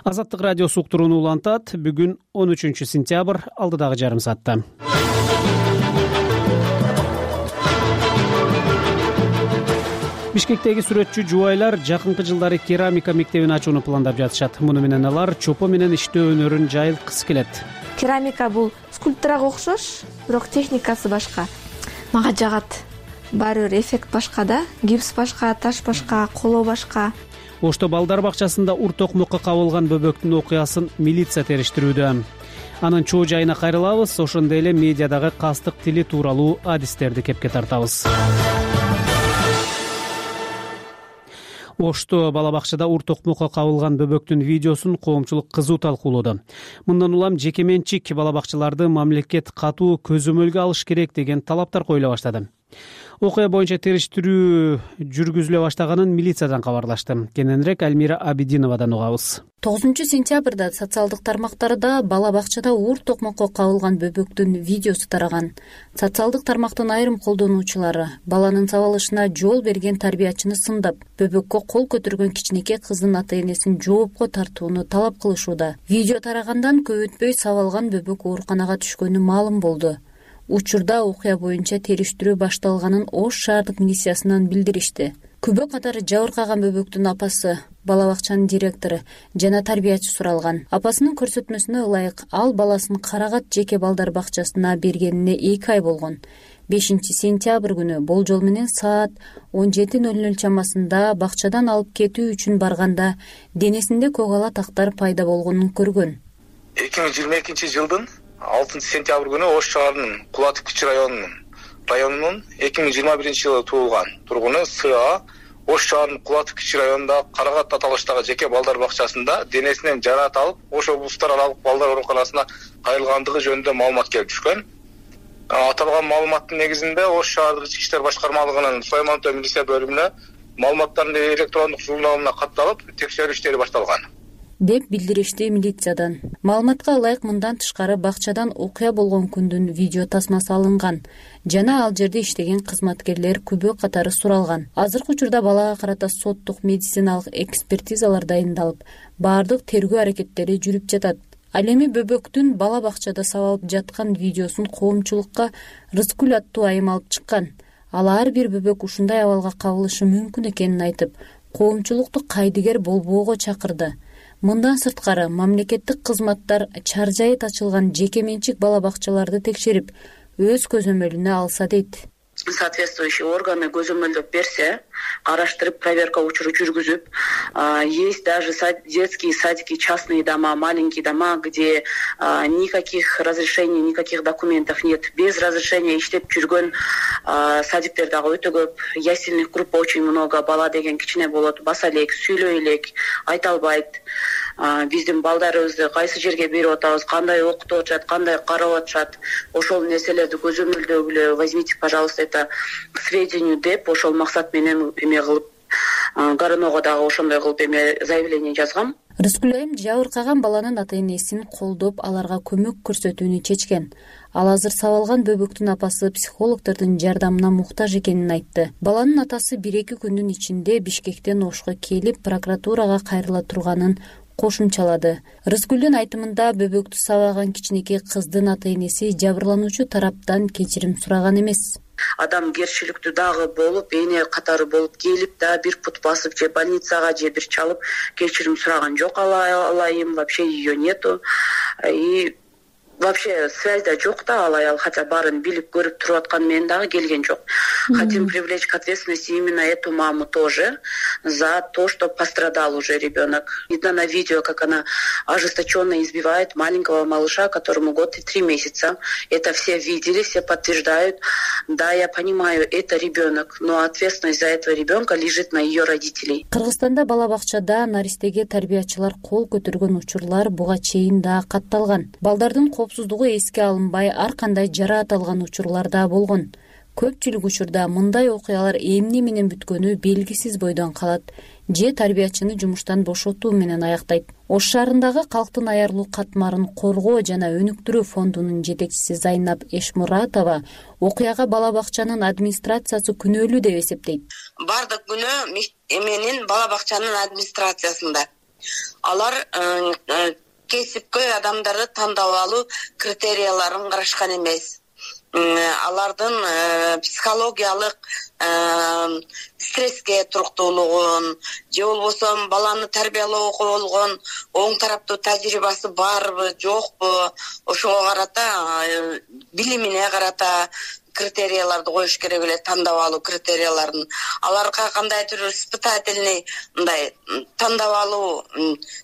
Азаттык радиосу уктурууну улантат. Бүгүн он үчүнчү сентябрь, алдыдагы жарым саатта. Бишкектеги сүрөтчү жубайлар жакынкы жылдары керамика мектебин ачууну пландап жатышат. Муну менен алар чопо менен иштөө өнөрүн жайылткысы келет. Керамика бул скульптурага окшош, бирок техникасы башка. Мага жагат. Баары бир эффект башка да. Гипс башка, таш башка, коло башка. Ошто балдар бакчасында ур токмокко кабылган бөбөктүн окуясын милиция териштирүүдө. Анын чоо жайына кайрылабыз, ошондой эле медиадагы кастык тили тууралуу адистерди кепке тартабыз. Ошто бала бакчада ур токмокко кабылган бөбөктүн видеосун коомчулук кызуу талкуулоодо. Мындан улам жеке менчик бала бакчаларды мамлекет катуу көзөмөлгө алыш керек деген талаптар коюла баштады. Окуя боюнча териштирүү жүргүзүлө баштаганын милициядан кабарлашты. Кененирээк Альмира Абидиновадан угабыз. тогузунчу сентябрда социалдык тармактарда бала бакчада ур токмокко кабылган бөбөктүн видеосу тараган. Социалдык тармактын айрым колдонуучулары баланын сабалышына жол берген тарбиячыны сындап, бөбөккө кол көтөргөн кичинекей кыздын ата-энесин жоопко тартууну талап кылышууда. Видео тарагандан көп өтпөй сабалган бөбөк ооруканага түшкөнү маалым болду. Учурда окуя боюнча териштирүү башталганын Ош шаардык милициясынан билдиришти. Күбө катары жабыркаган бөбөктүн апасы, бала бакчанын директору жана тарбиячы суралган. Апасынын көрсөтмөсүнө ылайык ал баласын Карагат жеке балдар бакчасына бергенине эки ай болгон. бешинчи сентябрь күнү болжол менен саат он жети ноль ноль чамасында бакчадан алып кетүү үчүн барганда денесинде көк ала тактар пайда болгонун көргөн. эки миң жыйырма экинчи жылдын алтынчы сентябрь күнү Ош шаарынын Кулатов кичи районунун районунун эки миң жыйырма биринчи жылы туулган тургуну С.А. Ош шаарынын Кулатов кичи районундагы Карагат аталыштагы жеке балдар бакчасында денесинен жараат алып, Ош облустук аралык балдар ооруканасына кайрылгандыгы жөнүндө маалымат келип түшкөн. Аталган маалыматтын негизинде Ош шаардык ички иштер башкармалыгынын Сулаймантау милиция бөлүмүнө маалыматтардын электрондук журналына катталып, текшерүү иштери башталган деп билдиришти милициядан. Маалыматка ылайык мындан тышкары бакчадан окуя болгон күндүн видео тасмасы алынган жана ал жерде иштеген кызматкерлер күбө катары суралган. Азыркы учурда балага карата соттук медициналык экспертизалар дайындалып, баардык тергөө аракеттери жүрүп жатат. Ал эми бөбөктүн бала бакчада сабалып жаткан видеосун коомчулукка Рыскүл аттуу айым алып чыккан. Ал ар бир бөбөк ушундай абалга кабылышы мүмкүн экенин айтып, коомчулукту кайдыгер болбоого чакырды. Мындан сырткары мамлекеттик кызматтар чаржайы ачылган жеке менчик бала бакчаларды текшерип, өз көзөмөлүнө алса дейт. Соответствующие органы көзөмөлдөп берсе, караштырып, проверка учуру жүргүзүп, есть даже детские садики, частные дома, маленькие дома, где никаких разрешений, никаких документов нет. Без разрешения иштеп жүргөн садиктер дагы өтө көп. Ясельных групп очень много, бала деген кичине болот, баса элек, сүйлөй элек, айта албайт. Биздин балдарыбызды кайсы жерге берип атабыз, кандай окутуп атышат, кандай карап атышат, ошол нерселерди көзөмөлдөгүлө, возьмите, пожалуйста, это к сведению деп, ошол максат менен эме кылып, Горынога дагы ошондой кылып эме заявление жазгам. Рыскүл айым жабыркаган баланын ата-энесин колдоп, аларга көмөк көрсөтүүнү чечкен. Ал азыр сабалган бөбөктүн апасы психологдордун жардамына муктаж экенин айтты. Баланын атасы бир-эки күндүн ичинде Бишкектен Ошко келип, прокуратурага кайрыла турганын кошумчалады. Рыскүлдүн айтымында бөбөктү сабаган кичинекей кыздын ата-энеси жабырлануучу тараптан кечирим сураган эмес. Адамгерчиликтүү дагы болуп, эне катары болуп келип да бир пут басып же больницага же бир чалып кечирим сураган жок. Алайым, вообще ее нету. И вообще связьда жок да ал аял, хотя баарын билип көрүп туруп аткан менен дагы келген жок. Хотим привлечь к ответственности именно эту маму тоже за то, что пострадал уже ребенок. Видно на видео, как она ожесточенно избивает маленького малыша, которому год и три месяца. Это все видели, все подтверждают. Да, я понимаю, это ребенок, но ответственность за этого ребенка лежит на ее родителей. Кыргызстанда бала бакчада наристеге тарбиячылар кол көтөргөн учурлар буга чейин да катталган. Балдардын коопсуздугу эске алынбай, ар кандай жараат алган учурлар да болгон. Көпчүлүк учурда мындай окуялар эмне менен бүткөнү белгисиз бойдон калат же тарбиячыны жумуштан бошотуу менен аяктайт. Ош шаарындагы калктын аярлуу катмарын коргоо жана өнүктүрүү фондунун жетекчиси Зайнап Эшмуратова окуяга бала бакчанын администрациясы күнөөлүү деп эсептейт. Бардык күнөө эменин бала бакчанын администрациясында. Алар кесипкөй адамдарды тандап алуу критерияларын карашкан эмес. Алардын психологиялык стресске туруктуулугун же болбосо баланы тарбиялоого болгон оң тараптуу тажрыйбасы барбы жокпу, ошого карата, билимине карата критерияларды коюш керек эле, тандап алуу критерияларын. Аларга кандайдыр испытательный мындай тандап алуу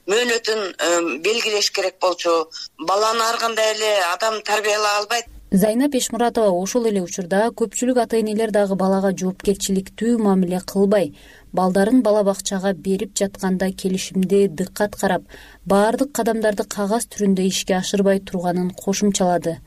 мөөнөтүн белгилеш керек болчу. Баланы ар кандай эле адам тарбиялай албайт. Зайнап Эшмуратова ошол эле учурда көпчүлүк ата-энелер дагы балага жоопкерчиликтүү мамиле кылбай, балдарын бала бакчага берип жатканда келишимде дыккат карап, баардык кадамдарды кагаз түрүндө ишке ашырбай турганын кошумчалады.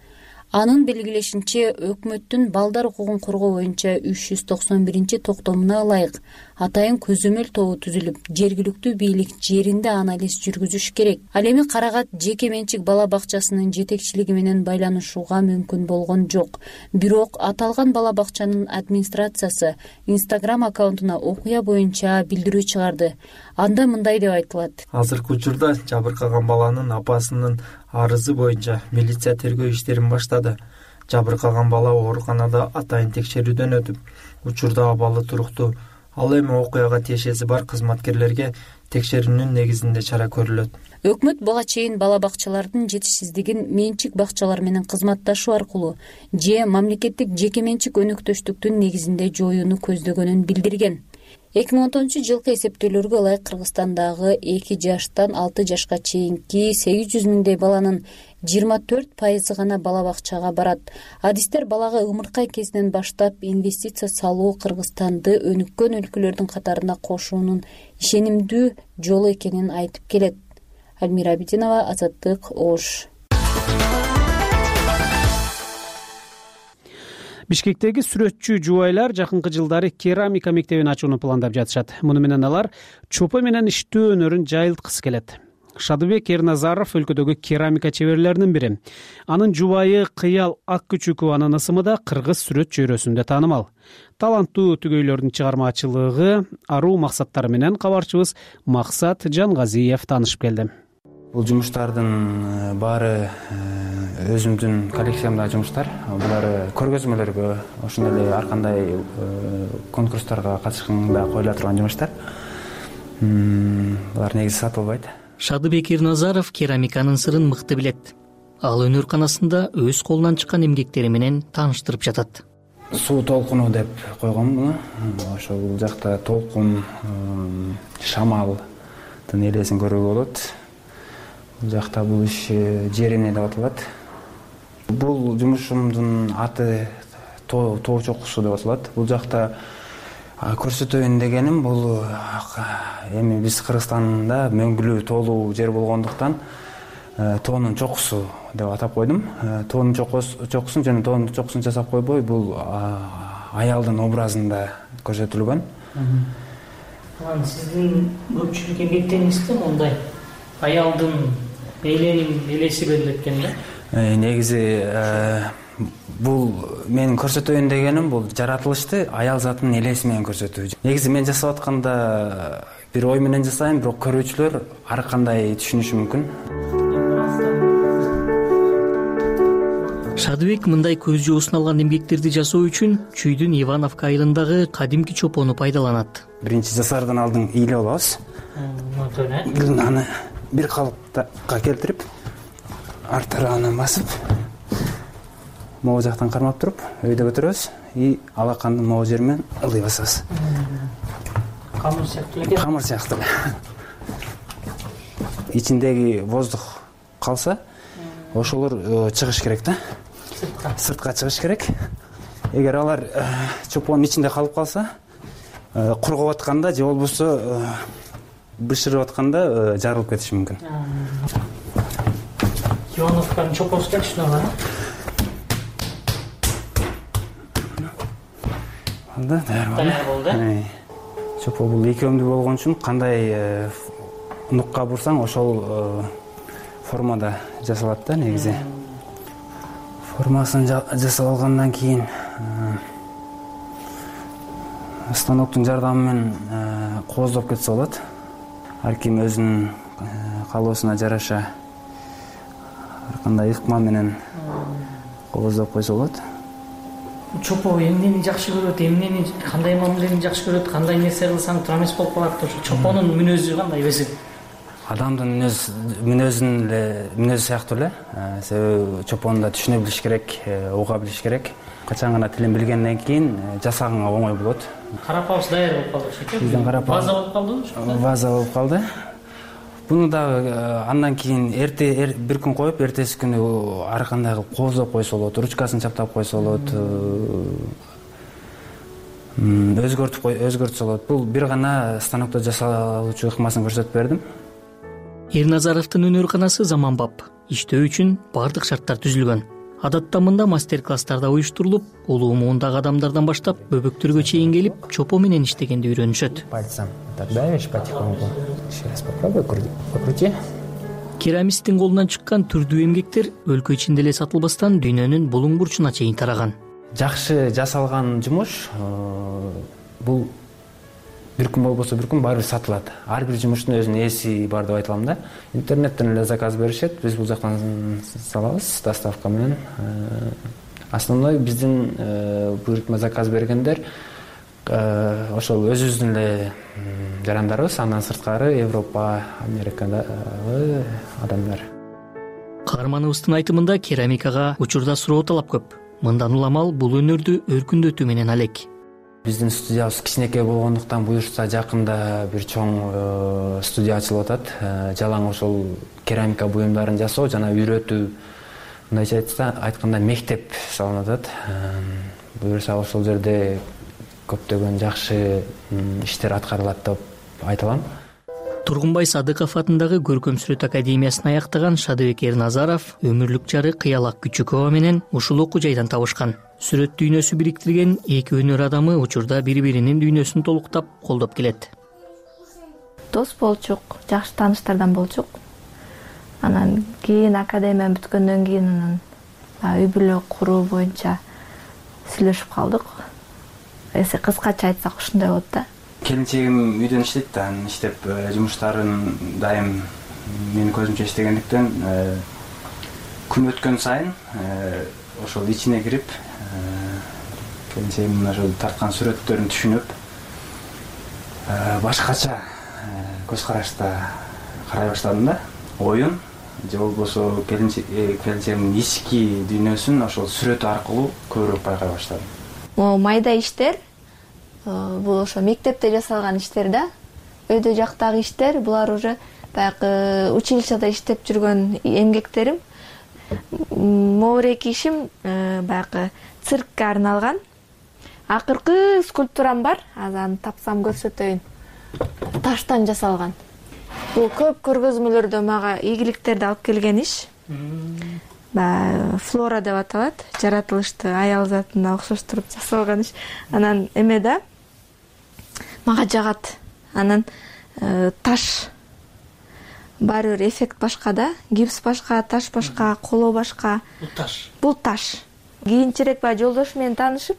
Анын белгилешинче, өкмөттүн балдар укугун коргоо боюнча үч жүз токсон биринчи токтомуна ылайык атайын көзөмөл тобу түзүлүп, жергиликтүү бийлик жеринде анализ жүргүзүш керек. Ал эми Карагат жеке менчик бала бакчасынын жетекчилиги менен байланышууга мүмкүн болгон жок. Бирок аталган бала бакчанын администрациясы Instagram аккаунтуна окуя боюнча билдирүү чыгарды. Анда мындай деп айтылат. Азыркы учурда жабыркаган баланын апасынын арызы боюнча милиция тергөө иштерин баштады. Жабыркаган бала ооруканада атайын текшерүүдөн өтүп, учурда абалы туруктуу. Ал эми окуяга тиешеси бар кызматкерлерге текшерүүнүн негизинде чара көрүлөт. Өкмөт буга чейин бала бакчалардын жетишсиздигин менчик бакчалар менен кызматташуу аркылуу же мамлекеттик жеке менчик өнөктөштүктүн негизинде жоюуну көздөгөнүн билдирген. эки миң он тогузунчу жылкы эсептөөлөргө ылайык Кыргызстандагы эки жаштан алты жашка чейинки сегиз жүз миңдей баланын жыйырма төрт пайызы гана бала бакчага барат. Адистер балага ымыркай кезинен баштап инвестиция салуу Кыргызстанды өнүккөн өлкөлөрдүн катарына кошуунун ишенимдүү жолу экенин айтып келет. Альмира Абидинова, Азаттык, Ош. Бишкектеги сүрөтчү жубайлар жакынкы жылдары керамика мектебин ачууну пландап жатышат. Муну менен алар чопо менен иштөө өнөрүн жайылткысы келет. Шадыбек Эрназаров өлкөдөгү керамика чеберлеринин бири. Анын жубайы Кыял Аккүчүкованын ысымы да кыргыз сүрөт чөйрөсүндө таанымал. Таланттуу түгөйлөрдүн чыгармачылыгы аруу максаттары менен кабарчыбыз Максат Жангазиев таанышып келди. Бул жумуштардын баары өзүмдүн коллекциямдагы жумуштар. Булар көргөзмөлөргө, ошондой эле ар кандай конкурстарга катышканда коюла турган жумуштар. Булар негизи сатылбайт. Шадыбек Эрназаров керамиканын сырын мыкты билет. Ал өнөрканасында өз колунан чыккан эмгектери менен тааныштырып жатат. Суу толкуну деп койгом муну. Ошол бул жакта толкун, шамалдын элесин көрүүгө болот. Бул жакта бул иш жерине деп аталат. Бул жумушумдун аты тоо чокусу деп аталат. Бул жакта көрсөтөйүн дегеним, бул эми биз Кыргызстанда мөңгүлүү тоолуу жер болгондуктан тоонун чокусу деп атап койдум. Тоонун чокусун жана тоонун чокусун жасап койбой, бул аялдын образында көрсөтүлгөн. Анан сиздин көпчүлүк эмгектериңизде мондай аялдын эленин элеси берилет экен да? Негизи бул менин көрсөтөйүн дегеним, бул жаратылышты аял затынын элеси менен көрсөтүү. Негизи мен жасап атканда бир ой менен жасайм, бирок көрүүчүлөр ар кандай түшүнүшү мүмкүн. Шадыбек мындай көз жоосун алган эмгектерди жасоо үчүн Чүйдүн Ивановка айылындагы кадимки чопону пайдаланат. Биринчи жасаардан алдын ыйлап алабыз. Аны бир калыпка келтирип, артырагынан басып могу жактан кармап туруп өйдө көтөрөбүз и алаканды могу жери менен ылдый басабыз. Камыр сыяктуу эле. Камыр сыяктуу эле. Ичиндеги воздух калса, ошолор чыгыш керек да. Сыртка. Сыртка чыгыш керек. Эгер алар чопонун ичинде калып калса, кургап атканда же болбосо бышырып атканда жарылып кетиши мүмкүн. Ионовканын чопосу да ушунага. Алда, даяр болду. Чопо бул экөөмдүү болгон үчүн кандай нукка бурсаң ошол формада жасалат да негизи. Формасын жасап алгандан кийин станоктун жардамы менен кооздоп кетсе болот. Ар ким өзүнүн калоосуна жараша ар кандай ыкма менен кооздоп койсо болот. Чопо эмнени жакшы көрөт, эмнени кандай мамилени жакшы көрөт, кандай нерсе кылсаң туура эмес болуп калат. Ошо чопонун мүнөзү кандай өзү? Адамдын мүнөз мүнөзүнүн эле мүнөзү сыяктуу эле. Себеби чопонду да түшүнө билиш керек, уга билиш керек. Качан гана тилин билгенден кийин жасаганга оңой болот. Карапабыз даяр болуп калды ошо. Бизден карап база болуп калдыбы? База болуп калды. Буну да андан кийин эрте бир күн коюп, эртеси күнү ар кандай кылып кооздоп койсо болот, ручкасын чаптап койсо болот, өзгөртүп өзгөртсө болот. Бул бир гана станокто жасалуучу ыкмасын көрсөтүп бердим. Эрназаровдун өнөрканасы заманбап, иштөө үчүн бардык шарттар түзүлгөн. Адатта мында мастер-класстарда уюштурулуп, улуу муундагы адамдардан баштап бөбөктөргө чейин келип, чопо менен иштегенди үйрөнүшөт. Пальцем так давишь потихоньку. Еще раз попробуй покрути. Керамисттин колунан чыккан түрдүү эмгектер өлкө ичинде эле сатылбастан дүйнөнүн булуң бурчуна чейин тараган. Жакшы жасалган жумуш бул бир күн болбосо бир күн баары бир сатылат. Ар бир жумуштун өзүнүн ээси бар деп айта алам да. Интернеттен эле заказ беришет, биз бул жактан салабыз доставка менен. Основной биздин буйрутма заказ бергендер ошол өзүбүздүн эле жарандарыбыз, андан сырткары Европа, Америкадагы адамдар. Каарманыбыздын айтымында керамикага учурда суроо талап көп. Мындан уламал бул өнөрдү өркүндөтүү менен алек. Биздин студиябыз кичинекей болгондуктан буюрса жакында бир чоң студия ачылып атат. Жалаң ошол керамика буюмдарын жасоо жана үйрөтүү, мындайча айтканда мектеп салынып атат. Буюрса ошол жерде көптөгөн жакшы иштер аткарылат деп айта алам. Тургунбай Садыков атындагы Көркөм сүрөт академиясын аяктаган Шадыбек Эрназаров өмүрлүк жары Кыялак Күчүкова менен ушул окуу жайдан табышкан. Сүрөт дүйнөсү бириктирген эки өнөр адамы учурда бири-биринин дүйнөсүн толуктап колдоп келет. Дос болчук, жакшы тааныштардан болчук. Анан кийин академия бүткөндөн кийин анан үй бүлө куруу боюнча сүйлөшүп калдык. Эсе кыскача айтсак ушундай болот да. Келинчегим үйдөн иштейт да, иштеп жумуштарын дайым менин көзүмчө иштегендиктен күн өткөн сайын ошол ичине кирип келинчегимдин ошол тарткан сүрөттөрүн түшүнүп башкача көз карашта карай баштадым да. Оюн же болбосо келинчегимдин ички дүйнөсүн ошол сүрөт аркылуу көбүрөөк байкай баштадым. Могу майда иштер бул ошо мектепте жасалган иштер да. Өйдө жактагы иштер булар уже баягы училищада иштеп жүргөн эмгектерим. Могуреки ишим баягы циркке арналган. Акыркы скульптурам бар, азыр аны тапсам көрсөтөйүн. Таштан жасалган. Бул көп көргөзмөлөрдө мага ийгиликтерди алып келген иш. Баягы флора деп аталат. Жаратылышты аял затына окшоштуруп жасалган иш. Анан эме да мага жагат. Анан таш баары бир эффект башка да. Гипс башка, таш башка, коло башка. Бул таш. Бул таш. Кийинчерээк баягы жолдош менен таанышып,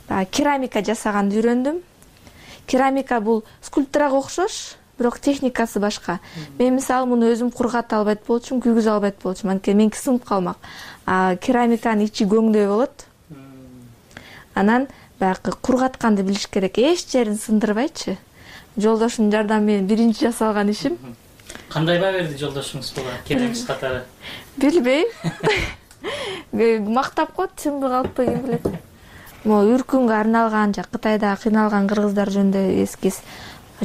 баягы керамика жасаганды үйрөндүм. Керамика бул скульптурага окшош, бирок техникасы башка. Мен мисалы муну өзүм кургата албайт болчумун, күйгүзө албайт болчумун. Анткени меники сынып калмак. А керамиканын ичи көңдөй болот. Анан баягы кургатканды билиш керек. Эч жерин сындырбайчы. Жолдошунун жардамы менен биринчи жасалган ишим. кандай баа берди жолдошуңуз буга келеңиз катары? Билбейм. Мактап коет, чынбы калппы ким билет. Могу үркүнгө арналган, жа Кытайда кыйналган кыргыздар жөнүндө эскиз.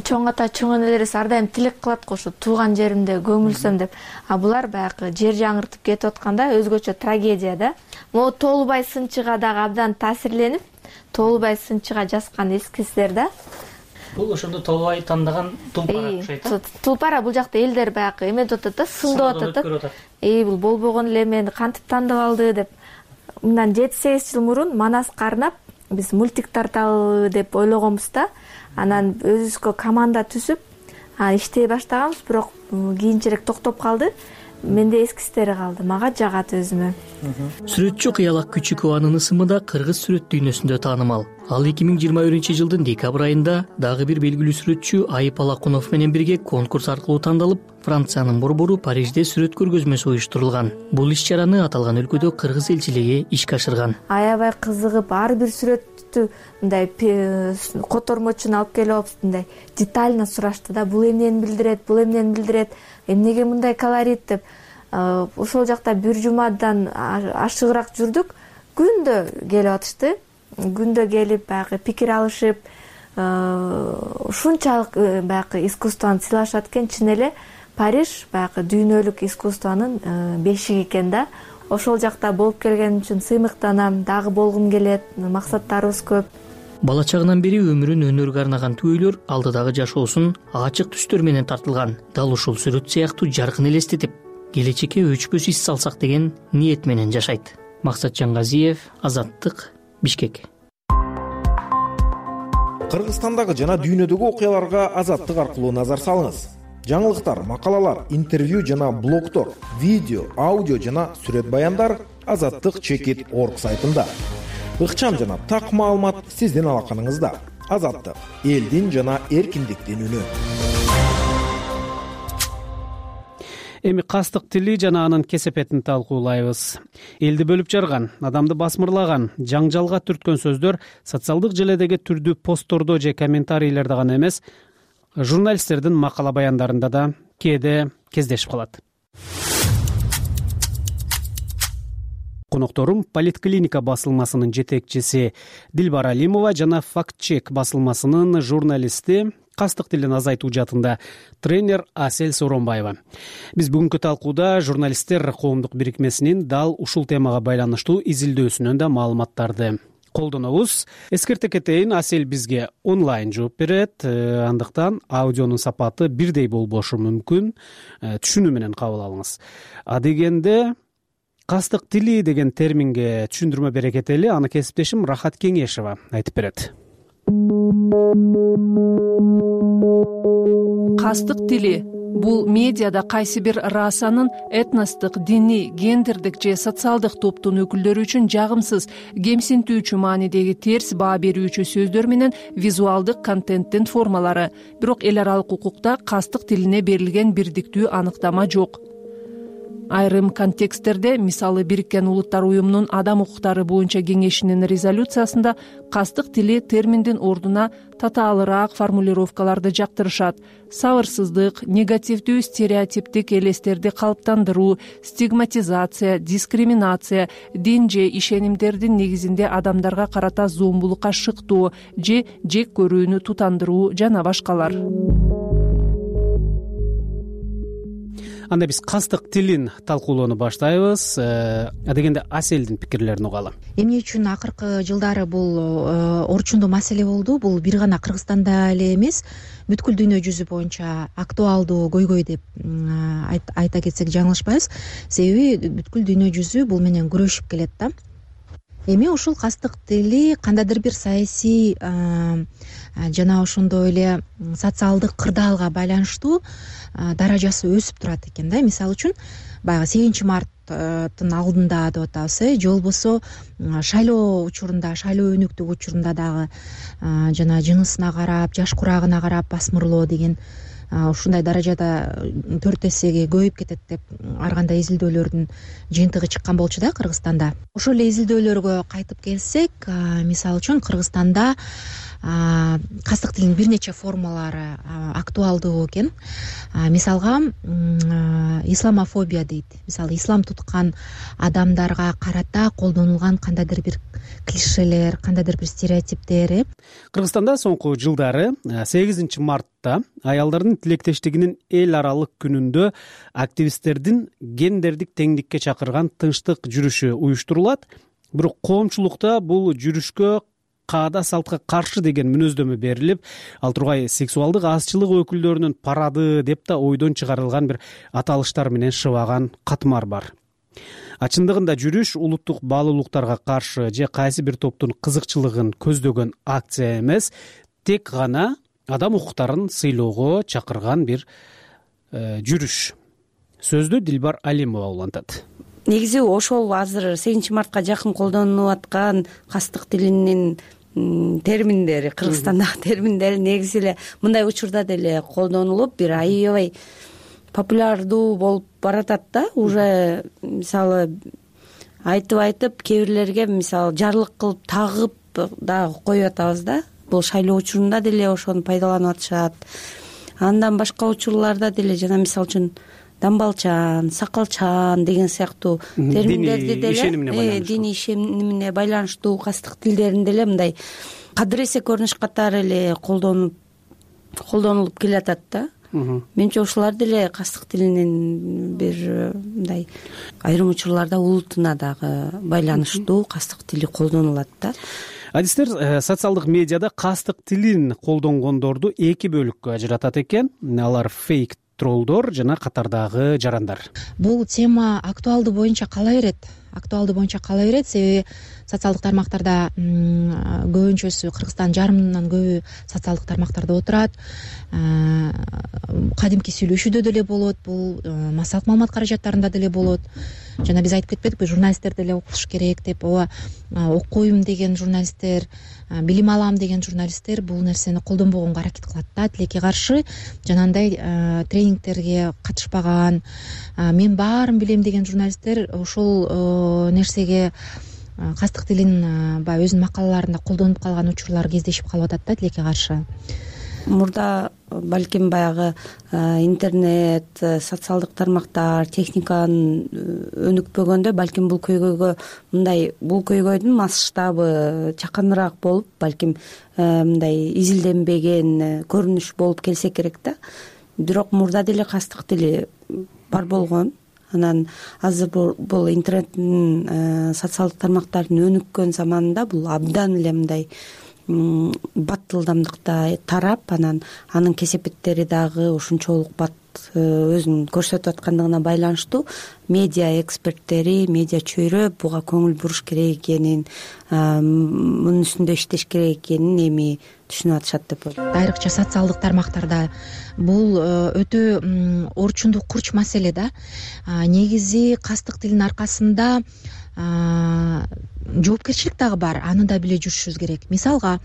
Чоң ата, чоң энелерибиз ар дайым тилек кылат го, ушу тууган жеримде көмүлсөм деп. А булар баягы жер жаңыртып кетип атканда өзгөчө трагедия да. Могу Толубай Сынчыга дагы абдан таасирленип, Толубай Сынчыга жазган эскиздер да. Бул ошондо Толубай тандаган тулпара окшойт. Тулпара бул жакта элдер баягы эметип атат да, сындап атат да. Эй, бул болбогон эле, мени кантип тандап алды деп. Мындан жети сегиз жыл мурун Манаска арнап биз мультик тарталы деп ойлогонбуз да. Анан өзүбүзгө команда түзүп, иштей баштаганбыз, бирок кийинчерээк токтоп калды. Менде эскистери калды, мага жагат өзүмө. Сүрөтчү Кыялак Күчүкованын ысымы да кыргыз сүрөт дүйнөсүндө таанымал. Ал эки миң жыйырма биринчи жылдын декабрь айында дагы бир белгилүү сүрөтчү Айып Алакунов менен бирге конкурс аркылуу тандалып, Франциянын борбору Парижде сүрөт көргөзмөсү уюштурулган. Бул иш-чараны аталган өлкөдө кыргыз элчилиги ишке ашырган. Аябай кызыгып, ар бир сүрөттү мындай котормочун алып келип алып, мындай детально сурашты да, бул эмнени билдирет, бул эмнени билдирет, эмнеге мындай колорит деп. Ошол жакта бир жумадан ашыгыраак жүрдүк. Күндө келип атышты. Күндө келип баягы пикир алышып, ушунчалык баягы искусствону сыйлашат экен. Чын эле Париж баягы дүйнөлүк искусствонун бешиги экен да. Ошол жакта болуп келгеним үчүн сыймыктанам, дагы болгум келет, максаттарыбыз көп. Бала чагынан бери өмүрүн өнөргө арнаган түбөлөр алдыдагы жашоосун ачык түстөр менен тартылган. Дал ушул сүрөт сыяктуу жаркын элестетип, келечекке өчпөс из салсак деген ниет менен жашайт. Максат Жаңгазиев, Азаттык, Бишкек. Кыргызстандагы жана дүйнөдөгү окуяларга Азаттык аркылуу назар салыңыз. Жаңылыктар, макалалар, интервью жана блогдор, видео, аудио жана сүрөт баяндар Азаттык чекит точка орг сайтында. Ыкчам жана так маалымат сиздин алаканыңызда. Азаттык — элдин жана эркиндиктин үнү. Эми кастык тили жана анын кесепетин талкуулайбыз. Элди бөлүп жарган, адамды басмырлаган, жаңжалга түрткөн сөздөр социалдык желедеги түрдүү посттордо же комментарийлерде гана эмес, журналисттердин макала баяндарында да кээде кездешип калат. Конокторум Политклиника басылмасынын жетекчиси Дилбар Алимова жана Фактчек басылмасынын журналисти, кастык тилин азайтуу жаатында тренер Асель Сооронбаева. Биз бүгүнкү талкууда журналисттер коомдук бирикмесинин дал ушул темага байланыштуу изилдөөсүнөн да маалыматтарды колдонобуз. Эскерте кетейин, Асель бизге онлайн жооп берет, андыктан аудионун сапаты бирдей болбошу мүмкүн, түшүнүү менен кабыл алыңыз. А дегенде кастык тили деген терминге түшүндүрмө бере кетели, аны кесиптешим Рахат Кеңешева айтып берет. Кастык тили бул медиада кайсы бир расанын этностук, диний, гендердик же социалдык топтун өкүлдөрү үчүн жагымсыз, кемсинтүүчү маанидеги терс баа берүүчү сөздөр менен визуалдык контенттин формалары. Бирок эл аралык укукта кастык тилине берилген бирдиктүү аныктама жок. Айрым контексттерде, мисалы Бириккен Улуттар уюмунун адам укуктары боюнча кеңешинин резолюциясында кастык тили терминдин ордуна татаалыраак формулировкаларды жактырышат. Сабырсыздык, негативдүү стереотиптик элестерди калыптандыруу, стигматизация, дискриминация, дин же ишенимдердин негизинде адамдарга карата зомбулукка шыктоо же жек көрүүнү тутандыруу жана башкалар. Анда биз кастык тилин талкуулоону баштайбыз. Адегенде Аселдин пикирлерин угалы. Эмне үчүн акыркы жылдары бул орчундуу маселе болду? Бул бир гана Кыргызстанда эле эмес, бүткүл дүйнө жүзү боюнча актуалдуу көйгөй деп айта кетсек жаңылышпайбыз. Себеби бүткүл дүйнө жүзү бул менен күрөшүп келет да. Эми ушул кастык тили кандайдыр бир саясий жана ошондой эле социалдык кырдаалга байланыштуу даражасы өсүп турат экен да. Мисалы үчүн баягы сегизинчи марттын алдында деп атабыз, э, же болбосо шайлоо учурунда, шайлоо өнүктүк учурунда дагы жана жынысына карап, жаш курагына карап басмырлоо деген ушундай даражада төрт эсеге көбөйүп кетет деп ар кандай изилдөөлөрдүн жыйынтыгы чыккан болчу да Кыргызстанда. Ошол эле изилдөөлөргө кайтып келсек, мисалы үчүн Кыргызстанда кастык тилинин бир нече формалары актуалдуу экен. Мисалга исламофобия дейт. Мисалы ислам туткан адамдарга карата колдонулган кандайдыр бир клишелер, кандайдыр бир стереотиптер. Кыргызстанда соңку жылдары сегизинчи мартта аялдардын тилектештигинин эл аралык күнүндө активисттердин гендердик теңдикке чакырган тынчтык жүрүшү уюштурулат. Бирок коомчулукта бул жүрүшкө каада салтка каршы деген мүнөздөмө берилип, ал тургай сексуалдык азчылык өкүлдөрүнүн парады деп да ойдон чыгарылган бир аталыштар менен шыбаган катмар бар. Ачындыгында жүрүш улуттук баалуулуктарга каршы же кайсы бир топтун кызыкчылыгын көздөгөн акция эмес, тек гана адам укуктарын сыйлоого чакырган бир э, жүрүш. Сөздү Дилбар Алимова улантат. Негизи ошол азыр сегизинчи мартка жакын колдонулуп аткан кастык тилинин терминдери, Кыргызстандагы терминдери негизи эле мындай учурда деле колдонулуп, бир аябай популярдуу болуп баратат да. Уже мисалы айтып айтып кээ бирлерге мисалы жарлык кылып тагып дагы коюп атабыз да. Бул шайлоо учурунда деле ошону пайдаланып атышат. Андан башка учурларда деле жана мисалы үчүн дамбалчан, сакалчан деген сыяктуу терминдерди деле диний ишенимине байланыштуу кастык тилдерин деле мындай кадыресе көрүнүш катары эле колдонуп колдонулуп келатат да. Менимче ушулар деле кастык тилинин бир мындай айрым учурларда улутуна дагы байланыштуу кастык тили колдонулат да. Адистер социалдык медиада кастык тилин колдонгондорду эки бөлүккө ажыратат экен. Алар фейк троллдор жана катардагы жарандар. Бул тема актуалдуу боюнча кала берет. Актуалдуу боюнча кала берет, себеби социалдык тармактарда көбүнчөсү Кыргызстан жарымынан көбү социалдык тармактарда отурат. Кадимки сүйлөшүүдө деле болот, бул массалык маалымат каражаттарында деле болот. Жана биз айтып кетпедикпи, журналисттер деле окуш керек деп. Ооба, окуйм деген журналисттер, билим алам деген журналисттер бул нерсени колдонбогонго аракет кылат да. Тилекке каршы жанагындай тренингтерге катышпаган, мен баарын билем деген журналисттер ошол нерсеге кастык тилин баягы өзүнүн макалаларында колдонуп калган учурлар кездешип калып атат да, тилекке каршы. Мурда балким баягы интернет, социалдык тармактар, техниканын өнүкпөгөндө балким бул көйгөйгө мындай бул көйгөйдүн масштабы чаканыраак болуп, балким мындай изилденбеген көрүнүш болуп келсе керек да. Бирок мурда деле кастык тили бар болгон. Анан азыр бул интернеттин социалдык тармактардын өнүккөн заманында бул абдан эле мындай баттылдамдыкта тарап, анан анын кесепеттери дагы ушунчолук бат өзүн көрсөтүп аткандыгына байланыштуу медиа эксперттери, медиа чөйрө буга көңүл буруш керек экенин, мунун үстүндө иштеш керек экенин эми түшүнүп атышат деп ойлойм. Айрыкча социалдык тармактарда бул өтө орчундуу курч маселе да. Негизи кастык тилинин аркасында жоопкерчилик дагы бар, аны да биле жүрүшүбүз керек. Мисалга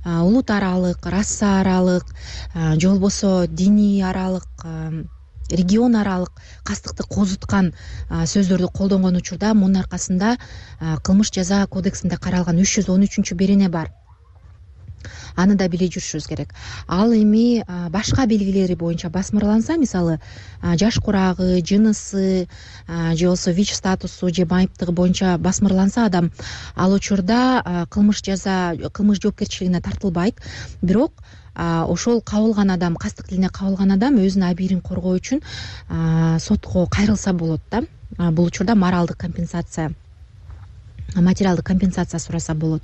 улут аралык, раса аралык, же болбосо диний аралык, регион аралык кастыкты козуткан сөздөрдү колдонгон учурда мунун аркасында кылмыш жаза кодексинде каралган үч жүз он үчүнчү берене бар. Аны да биле жүрүшүбүз керек. Ал эми башка белгилери боюнча басмырланса, мисалы жаш курагы, жынысы, же болбосо вич статусу же майыптыгы боюнча басмырланса адам, ал учурда кылмыш жаза, кылмыш жоопкерчилигине тартылбайт. Бирок ошол кабылган адам, кастык тилине кабылган адам өзүнүн абийирин коргоо үчүн сотко кайрылса болот да. Бул учурда моралдык компенсация, материалдык компенсация сураса болот.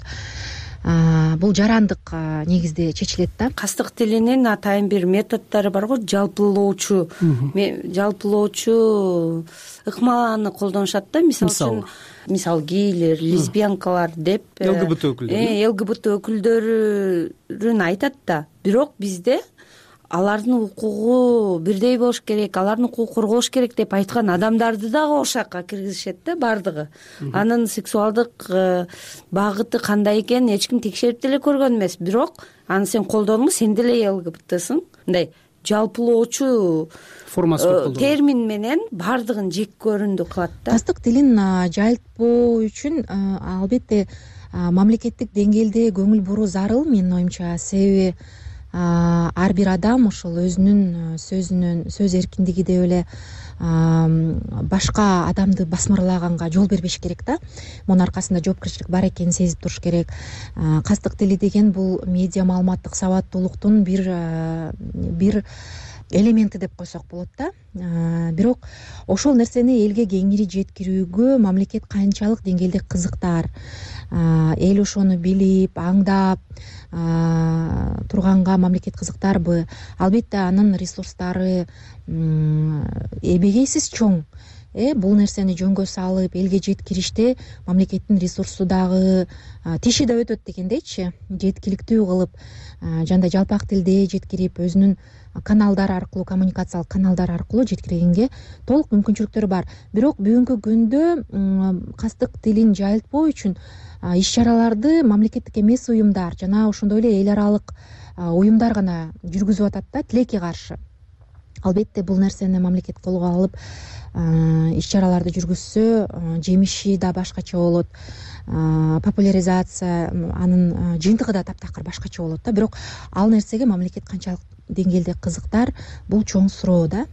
Бул жарандык негизде чечилет да. Кастык тилинин атайын бир методдору бар го, жалпылоочу, жалпылоочу ыкманы колдонушат да. Мисалы үчүн, мисалы гейлер, лесбиянкалар деп ЛГБТ өкүлдөрү, ЛГБТ өкүлдөрүн айтат да. Бирок бизде алардын укугу бирдей болуш керек, алардын укугун коргош керек деп айткан адамдарды дагы ошакка киргизишет да, бардыгы. Анын сексуалдык багыты кандай экенин эч ким текшерип деле көргөн эмес. Бирок аны сен колдондуң, сен деле ЛГБТсың. Мындай жалпылоочу термин менен бардыгын жек көрүндү кылат да. Кастык тилин жайылтпоо үчүн албетте мамлекеттик деңгээлде көңүл буруу зарыл менин оюмча. Себеби ар бир адам ошол өзүнүн сөзүнүн сөз эркиндиги деп эле башка адамды басмырлаганга жол бербеш керек да. Мунун аркасында жоопкерчилик бар экенин сезип туруш керек. Кастык тили деген бул медиа маалыматтык сабаттуулуктун бир бир элементи деп койсок болот да. Бирок ошол нерсени элге кеңири жеткирүүгө мамлекет канчалык деңгээлде кызыктар, эл ошону билип, аңдап турганга мамлекет кызыктарбы? Албетте анын ресурстары эбегейсиз чоң. Э бул нерсени жөнгө салып элге жеткириште мамлекеттин ресурсу дагы тиши да өтөт дегендейчи. Жеткиликтүү кылып, жандай жалпак тилде жеткирип, өзүнүн каналдар аркылуу, коммуникациялык каналдар аркылуу жеткиргенге толук мүмкүнчүлүктөр бар. Бирок бүгүнкү күндө кастык тилин жайылтпоо үчүн иш чараларды мамлекеттик эмес уюмдар жана ошондой эле эл аралык уюмдар гана жүргүзүп атат да, тилекке каршы. Албетте бул нерсени мамлекет колго алып иш чараларды жүргүзсө жемиши да башкача болот, популяризация анын жыйынтыгы да таптакыр башкача болот да. Бирок ал нерсеге мамлекет канчалык деңгээлде кызыктар, бул чоң суроо да.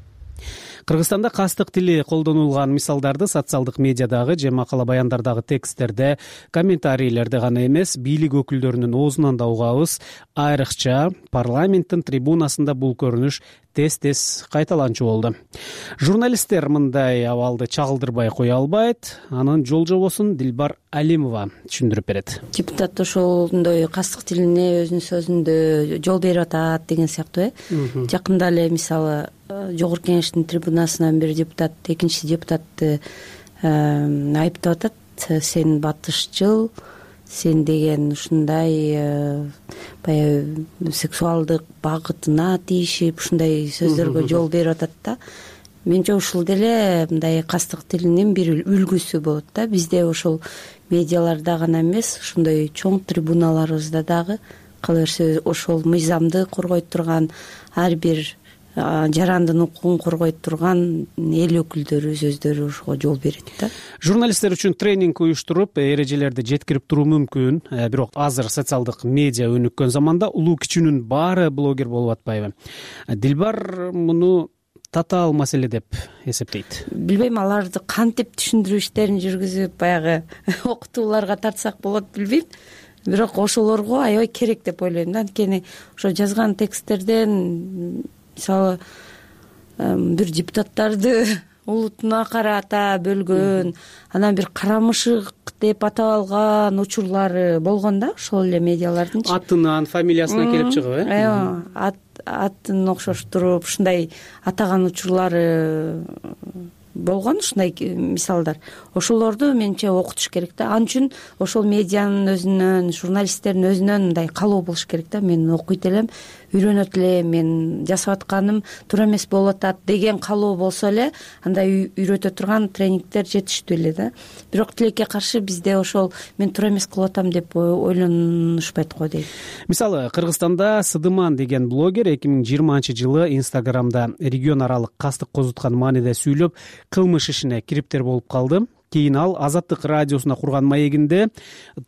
Кыргызстанда кастык тили колдонулган мисалдарды социалдык медиадагы же макала баяндардагы тексттерде, комментарийлерде гана эмес, бийлик өкүлдөрүнүн оозунан да угабыз. Айрыкча парламенттин трибунасында бул көрүнүш тез-тез кайталанчу болду. Журналисттер мындай абалды чагылдырбай кое албайт. Анын жол жобосун Дилбар Алимова түшүндүрүп берет. Депутат ошондой кастык тилине өзүнүн сөзүндө жол берип атат деген сыяктуу э. Жакында эле мисалы Жогорку Кеңештин трибунасынан бир депутат экинчи депутатты айыптап атат. Сен батышчыл, сен деген ушундай баягы сексуалдык багытына тийишип ушундай сөздөргө жол берип атат да. Менче ушул деле мындай кастык тилинин бир үлгүсү болот да. Бизде ошол медиаларда гана эмес, ушундай чоң трибуналарыбызда дагы кала берсе ошол мыйзамды коргойт турган, ар бир жарандын укугун коргойт турган эл өкүлдөрү сөздөрү ошого жол берет да. Журналисттер үчүн тренинг уюштуруп, эрежелерди жеткирип туруу мүмкүн. Бирок азыр социалдык медиа өнүккөн заманда улуу кичүүнүн баары блогер болуп атпайбы? Дилбар муну татаал маселе деп эсептейт. Билбейм, аларды кантип түшүндүрүү иштерин жүргүзүп баягы окутууларга тартсак болот билбейм. Бирок ошолорго аябай керек деп ойлойм да. Анткени ошо жазган тексттерден мисалы бир депутаттарды улутуна карата бөлгөн, анан бир карамышык деп атап алган учурлары болгон да, ошол эле медиалардын атынан, фамилиясынан келип чыгып, э? Аяа, атын окшоштуруп ушундай атаган учурлары болгон, ушундай мисалдар. Ошолорду менче окутуш керек да. Ал үчүн ошол медианын өзүнөн, журналисттердин өзүнөн мындай калоо болуш керек да. Мен окуйт элем, үйрөнөт элем, мен жасап атканым туура эмес болуп атат деген калоо болсо эле, андай үйрөтө турган тренингдер жетиштүү эле да. Бирок тилекке каршы бизде ошол мен туура эмес кылып атам деп ойлонушпайт го дейм. Мисалы, Кыргызстанда Сыдыман деген блогер эки миң жыйырманчы жылы Инстаграмда регион аралык кастык козуткан мааниде сүйлөп, кылмыш ишине кириптер болуп калды. Кийин ал Азаттык радиосуна курган маегинде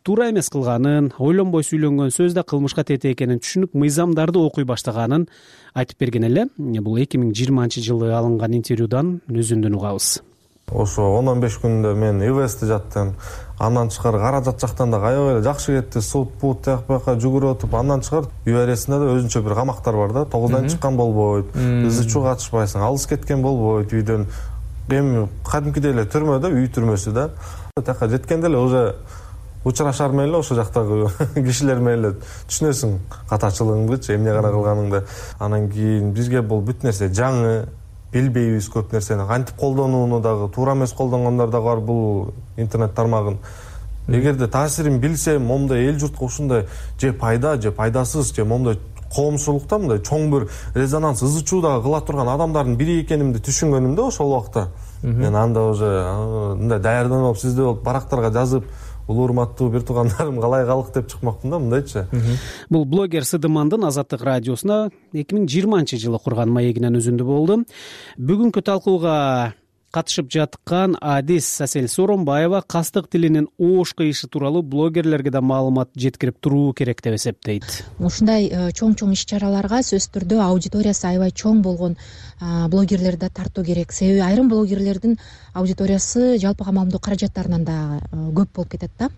туура эмес кылганын, ойлонбой сүйлөнгөн сөз да кылмышка тете экенин түшүнүп, мыйзамдарды окуй баштаганын айтып берген эле. Бул эки миң жыйырманчы жылы алынган интервьюдан өзүндөн угабыз. Ошо он он беш күндө мен ИВСте жаттым. Андан тышкары каражат жактан да аябай эле жакшы кетти. Суд, бут тияк бияка жүгүрүп атып, андан тышкары ЮАРСинде да өзүнчө бир камактар бар да. тогуздан чыккан болбойт, ызы чуу катышпайсың, алыс кеткен болбойт үйдөн. Эми кадимкидей эле түрмөдө, үй түрмөсү да. Тияка жеткенде эле уже учурашар менен эле ошо жактагы кишилер менен эле түшүнөсүң катачылыгыңдычы, эмне гана кылганыңды. Анан кийин бизге бул бүт нерсе жаңы, билбейбиз көп нерсени. Кантип колдонууну дагы, туура эмес колдонгондор дагы бар бул интернет тармагын. Эгерде таасирин билсем, момундай эл журтка ушундай же пайда, же пайдасыз, же момундай коомчулукта мындай чоң бир резонанс, ызы чуу дагы кыла турган адамдардын бири экенимди түшүнгөнүмдө ошол убакта мен анда уже мындай даярданып, сизде болуп барактарга жазып, улуу урматтуу бир туугандарым калай калык деп чыкмакмын да, мындайчы. Бул блогер Сыдымандын Азаттык радиосуна эки миң жыйырманчы жылы курган маегинен үзүндү болду. Бүгүнкү талкууга катышып жаткан адис Асель Сооронбаева кастык тилинин оош кыйышы тууралуу блогерлерге да маалымат жеткирип туруу керек деп эсептейт. Ушундай чоң чоң иш чараларга сөзсүз түрдө аудиториясы аябай чоң болгон блогерлерди да тартуу керек. Себеби айрым блогерлердин аудиториясы жалпы камалымдуу каражаттарынан да көп болуп кетет да.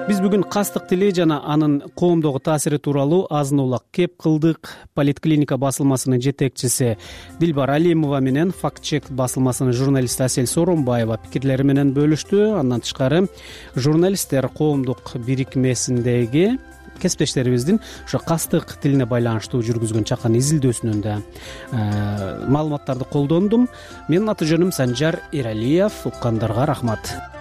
Биз бүгүн кастык тили жана анын коомдогу таасири тууралуу азын улак кеп кылдык. Политклиника басылмасынын жетекчиси Дилбар Алимова менен Факт чек басылмасынын журналисти Асель Сооронбаева пикирлери менен бөлүштү. Андан тышкары журналисттер коомдук бирикмесиндеги кесиптештерибиздин ошо кастык тилине байланыштуу жүргүзгөн чакан изилдөөсүнөн да маалыматтарды колдондум. Менин аты жөнүм Санжар Эралиев. Уккандарга рахмат.